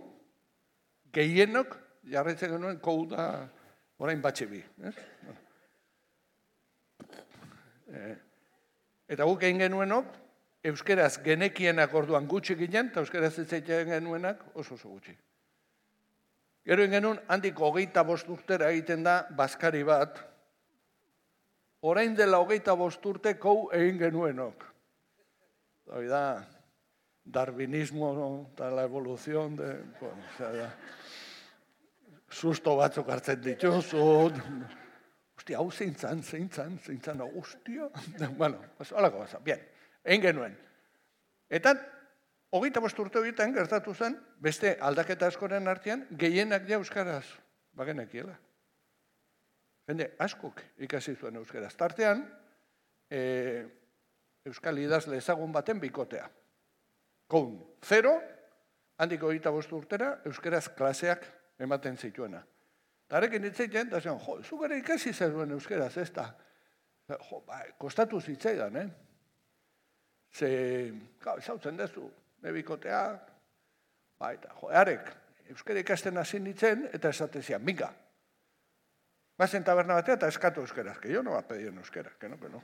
gehienok, jarraitzen genuen kou da orain batxe bi. Eta guk egin genuenok, euskeraz genekienak orduan gutxi ginen, eta euskeraz ez egiten genuenak oso oso gutxi. Gero genuen handik hogeita bost urtera egiten da bazkari bat, orain dela hogeita bost urte kou egin genuenok. Hori da, darwinismo eta la evolución de... Bueno, o sea, susto batzuk hartzen dituzut. Hostia, hau zeintzan, zeintzan, zeintzan, hostia. Bueno, pues holako basa, bien, egin genuen. Eta, hogeita bost urte horietan gertatu zen, beste aldaketa askoren artean, gehienak ja euskaraz bagenekiela. Jende, askok ikasi zuen euskaraz. Tartean, e, euskal idazle ezagun baten bikotea. Koun, zero, handik hogeita bost urtera, euskaraz klaseak ematen zituena. Tarekin ditzeiten, eta zion, jo, zuk ere ikasi zeruen euskaraz, ez da. Jo, ba, kostatu zitzaidan, eh? Ze, gau, izautzen dezu, nebikotea, ba, eta, jo, arek, euskara ikasten hasi nintzen, eta esatezian, minga. Bazen taberna batea, eta eskatu euskaraz, que yo no va a pedir en euskara, que no, que no.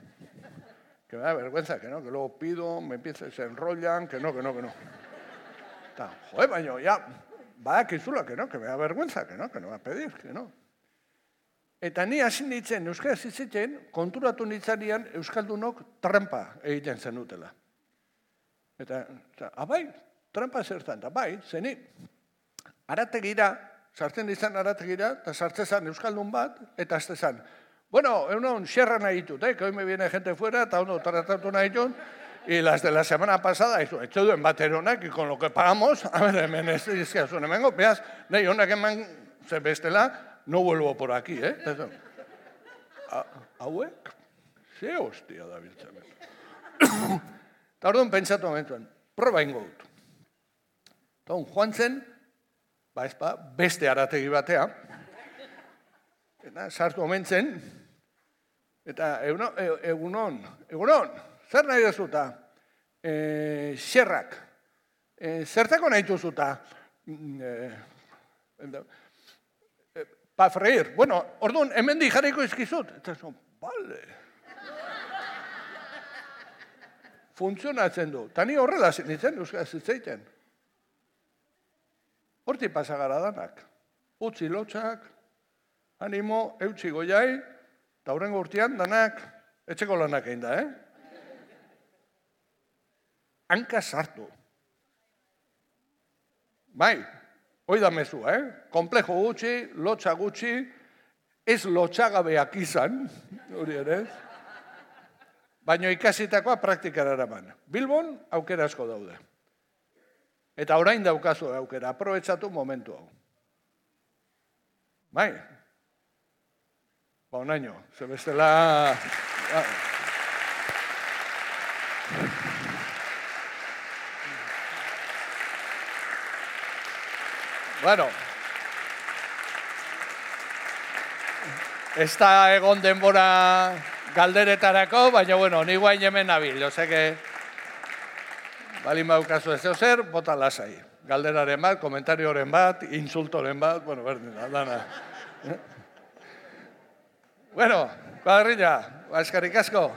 Que me da vergüenza, que no, que luego pido, me empieza, se enrollan, que no, que no, que no. Eta, joe, baino, ya, badakizula, que no, que me da vergüenza, que no, que no va a pedir, que no. Eta ni hasi nintzen, euskaraz izitzen, konturatu nintzarian euskaldunok trampa egiten zenutela. Eta, eta abai, trampa zertan, eta bai, zeni, arategira, sartzen izan arategira, eta sartzezan euskaldun bat, eta aztezan, bueno, egunon, xerra nahi ditut, eh, que hoy me viene gente fuera, eta uno tratatu nahi ditut, y las de la semana pasada, eso, etxe duen bateronak, y con lo que pagamos, a ver, hemen ez dizkiazun, hemengo, beaz, nahi honak eman, ze bestela, no vuelvo por aquí, eh? Hauek, ze hostia da biltzen. Eta orduan pentsatu momentuen, proba ingo dut. Eta hon, joan zen, ba ezpa, beste arategi batea, eta sartu omentzen, eta egunon, egunon, zer nahi dezuta? Xerrak, zertako nahi duzuta? Pa freír. Bueno, orduan, hemen di jarriko izkizut. Eta zon, bale. Funtzionatzen du. Tani horrela zinitzen, euskara zitzeiten. Horti pasagara danak. Utzi lotxak, animo, eutxi goiai, eta horrengo urtean danak etxeko lanak egin da, eh? Hanka sartu. Bai, hoi da mezua, eh? Komplejo gutxi, lotxa gutxi, ez lotxagabeak izan, hori ere, baina ikasitakoa praktikara eraman. Bilbon aukera asko daude. Eta orain daukazu aukera, aprobetsatu momentu hau. Bai, ba onaino, ze bestela... Bueno, ez da egon denbora galderetarako, baina, bueno, ni guain hemen nabil, ose que balin baukazu ez zer, bota lasai. Galderaren bat, komentarioren bat, insultoren bat, bueno, berdin, dana. Bueno, kuadrilla, eskerrik asko.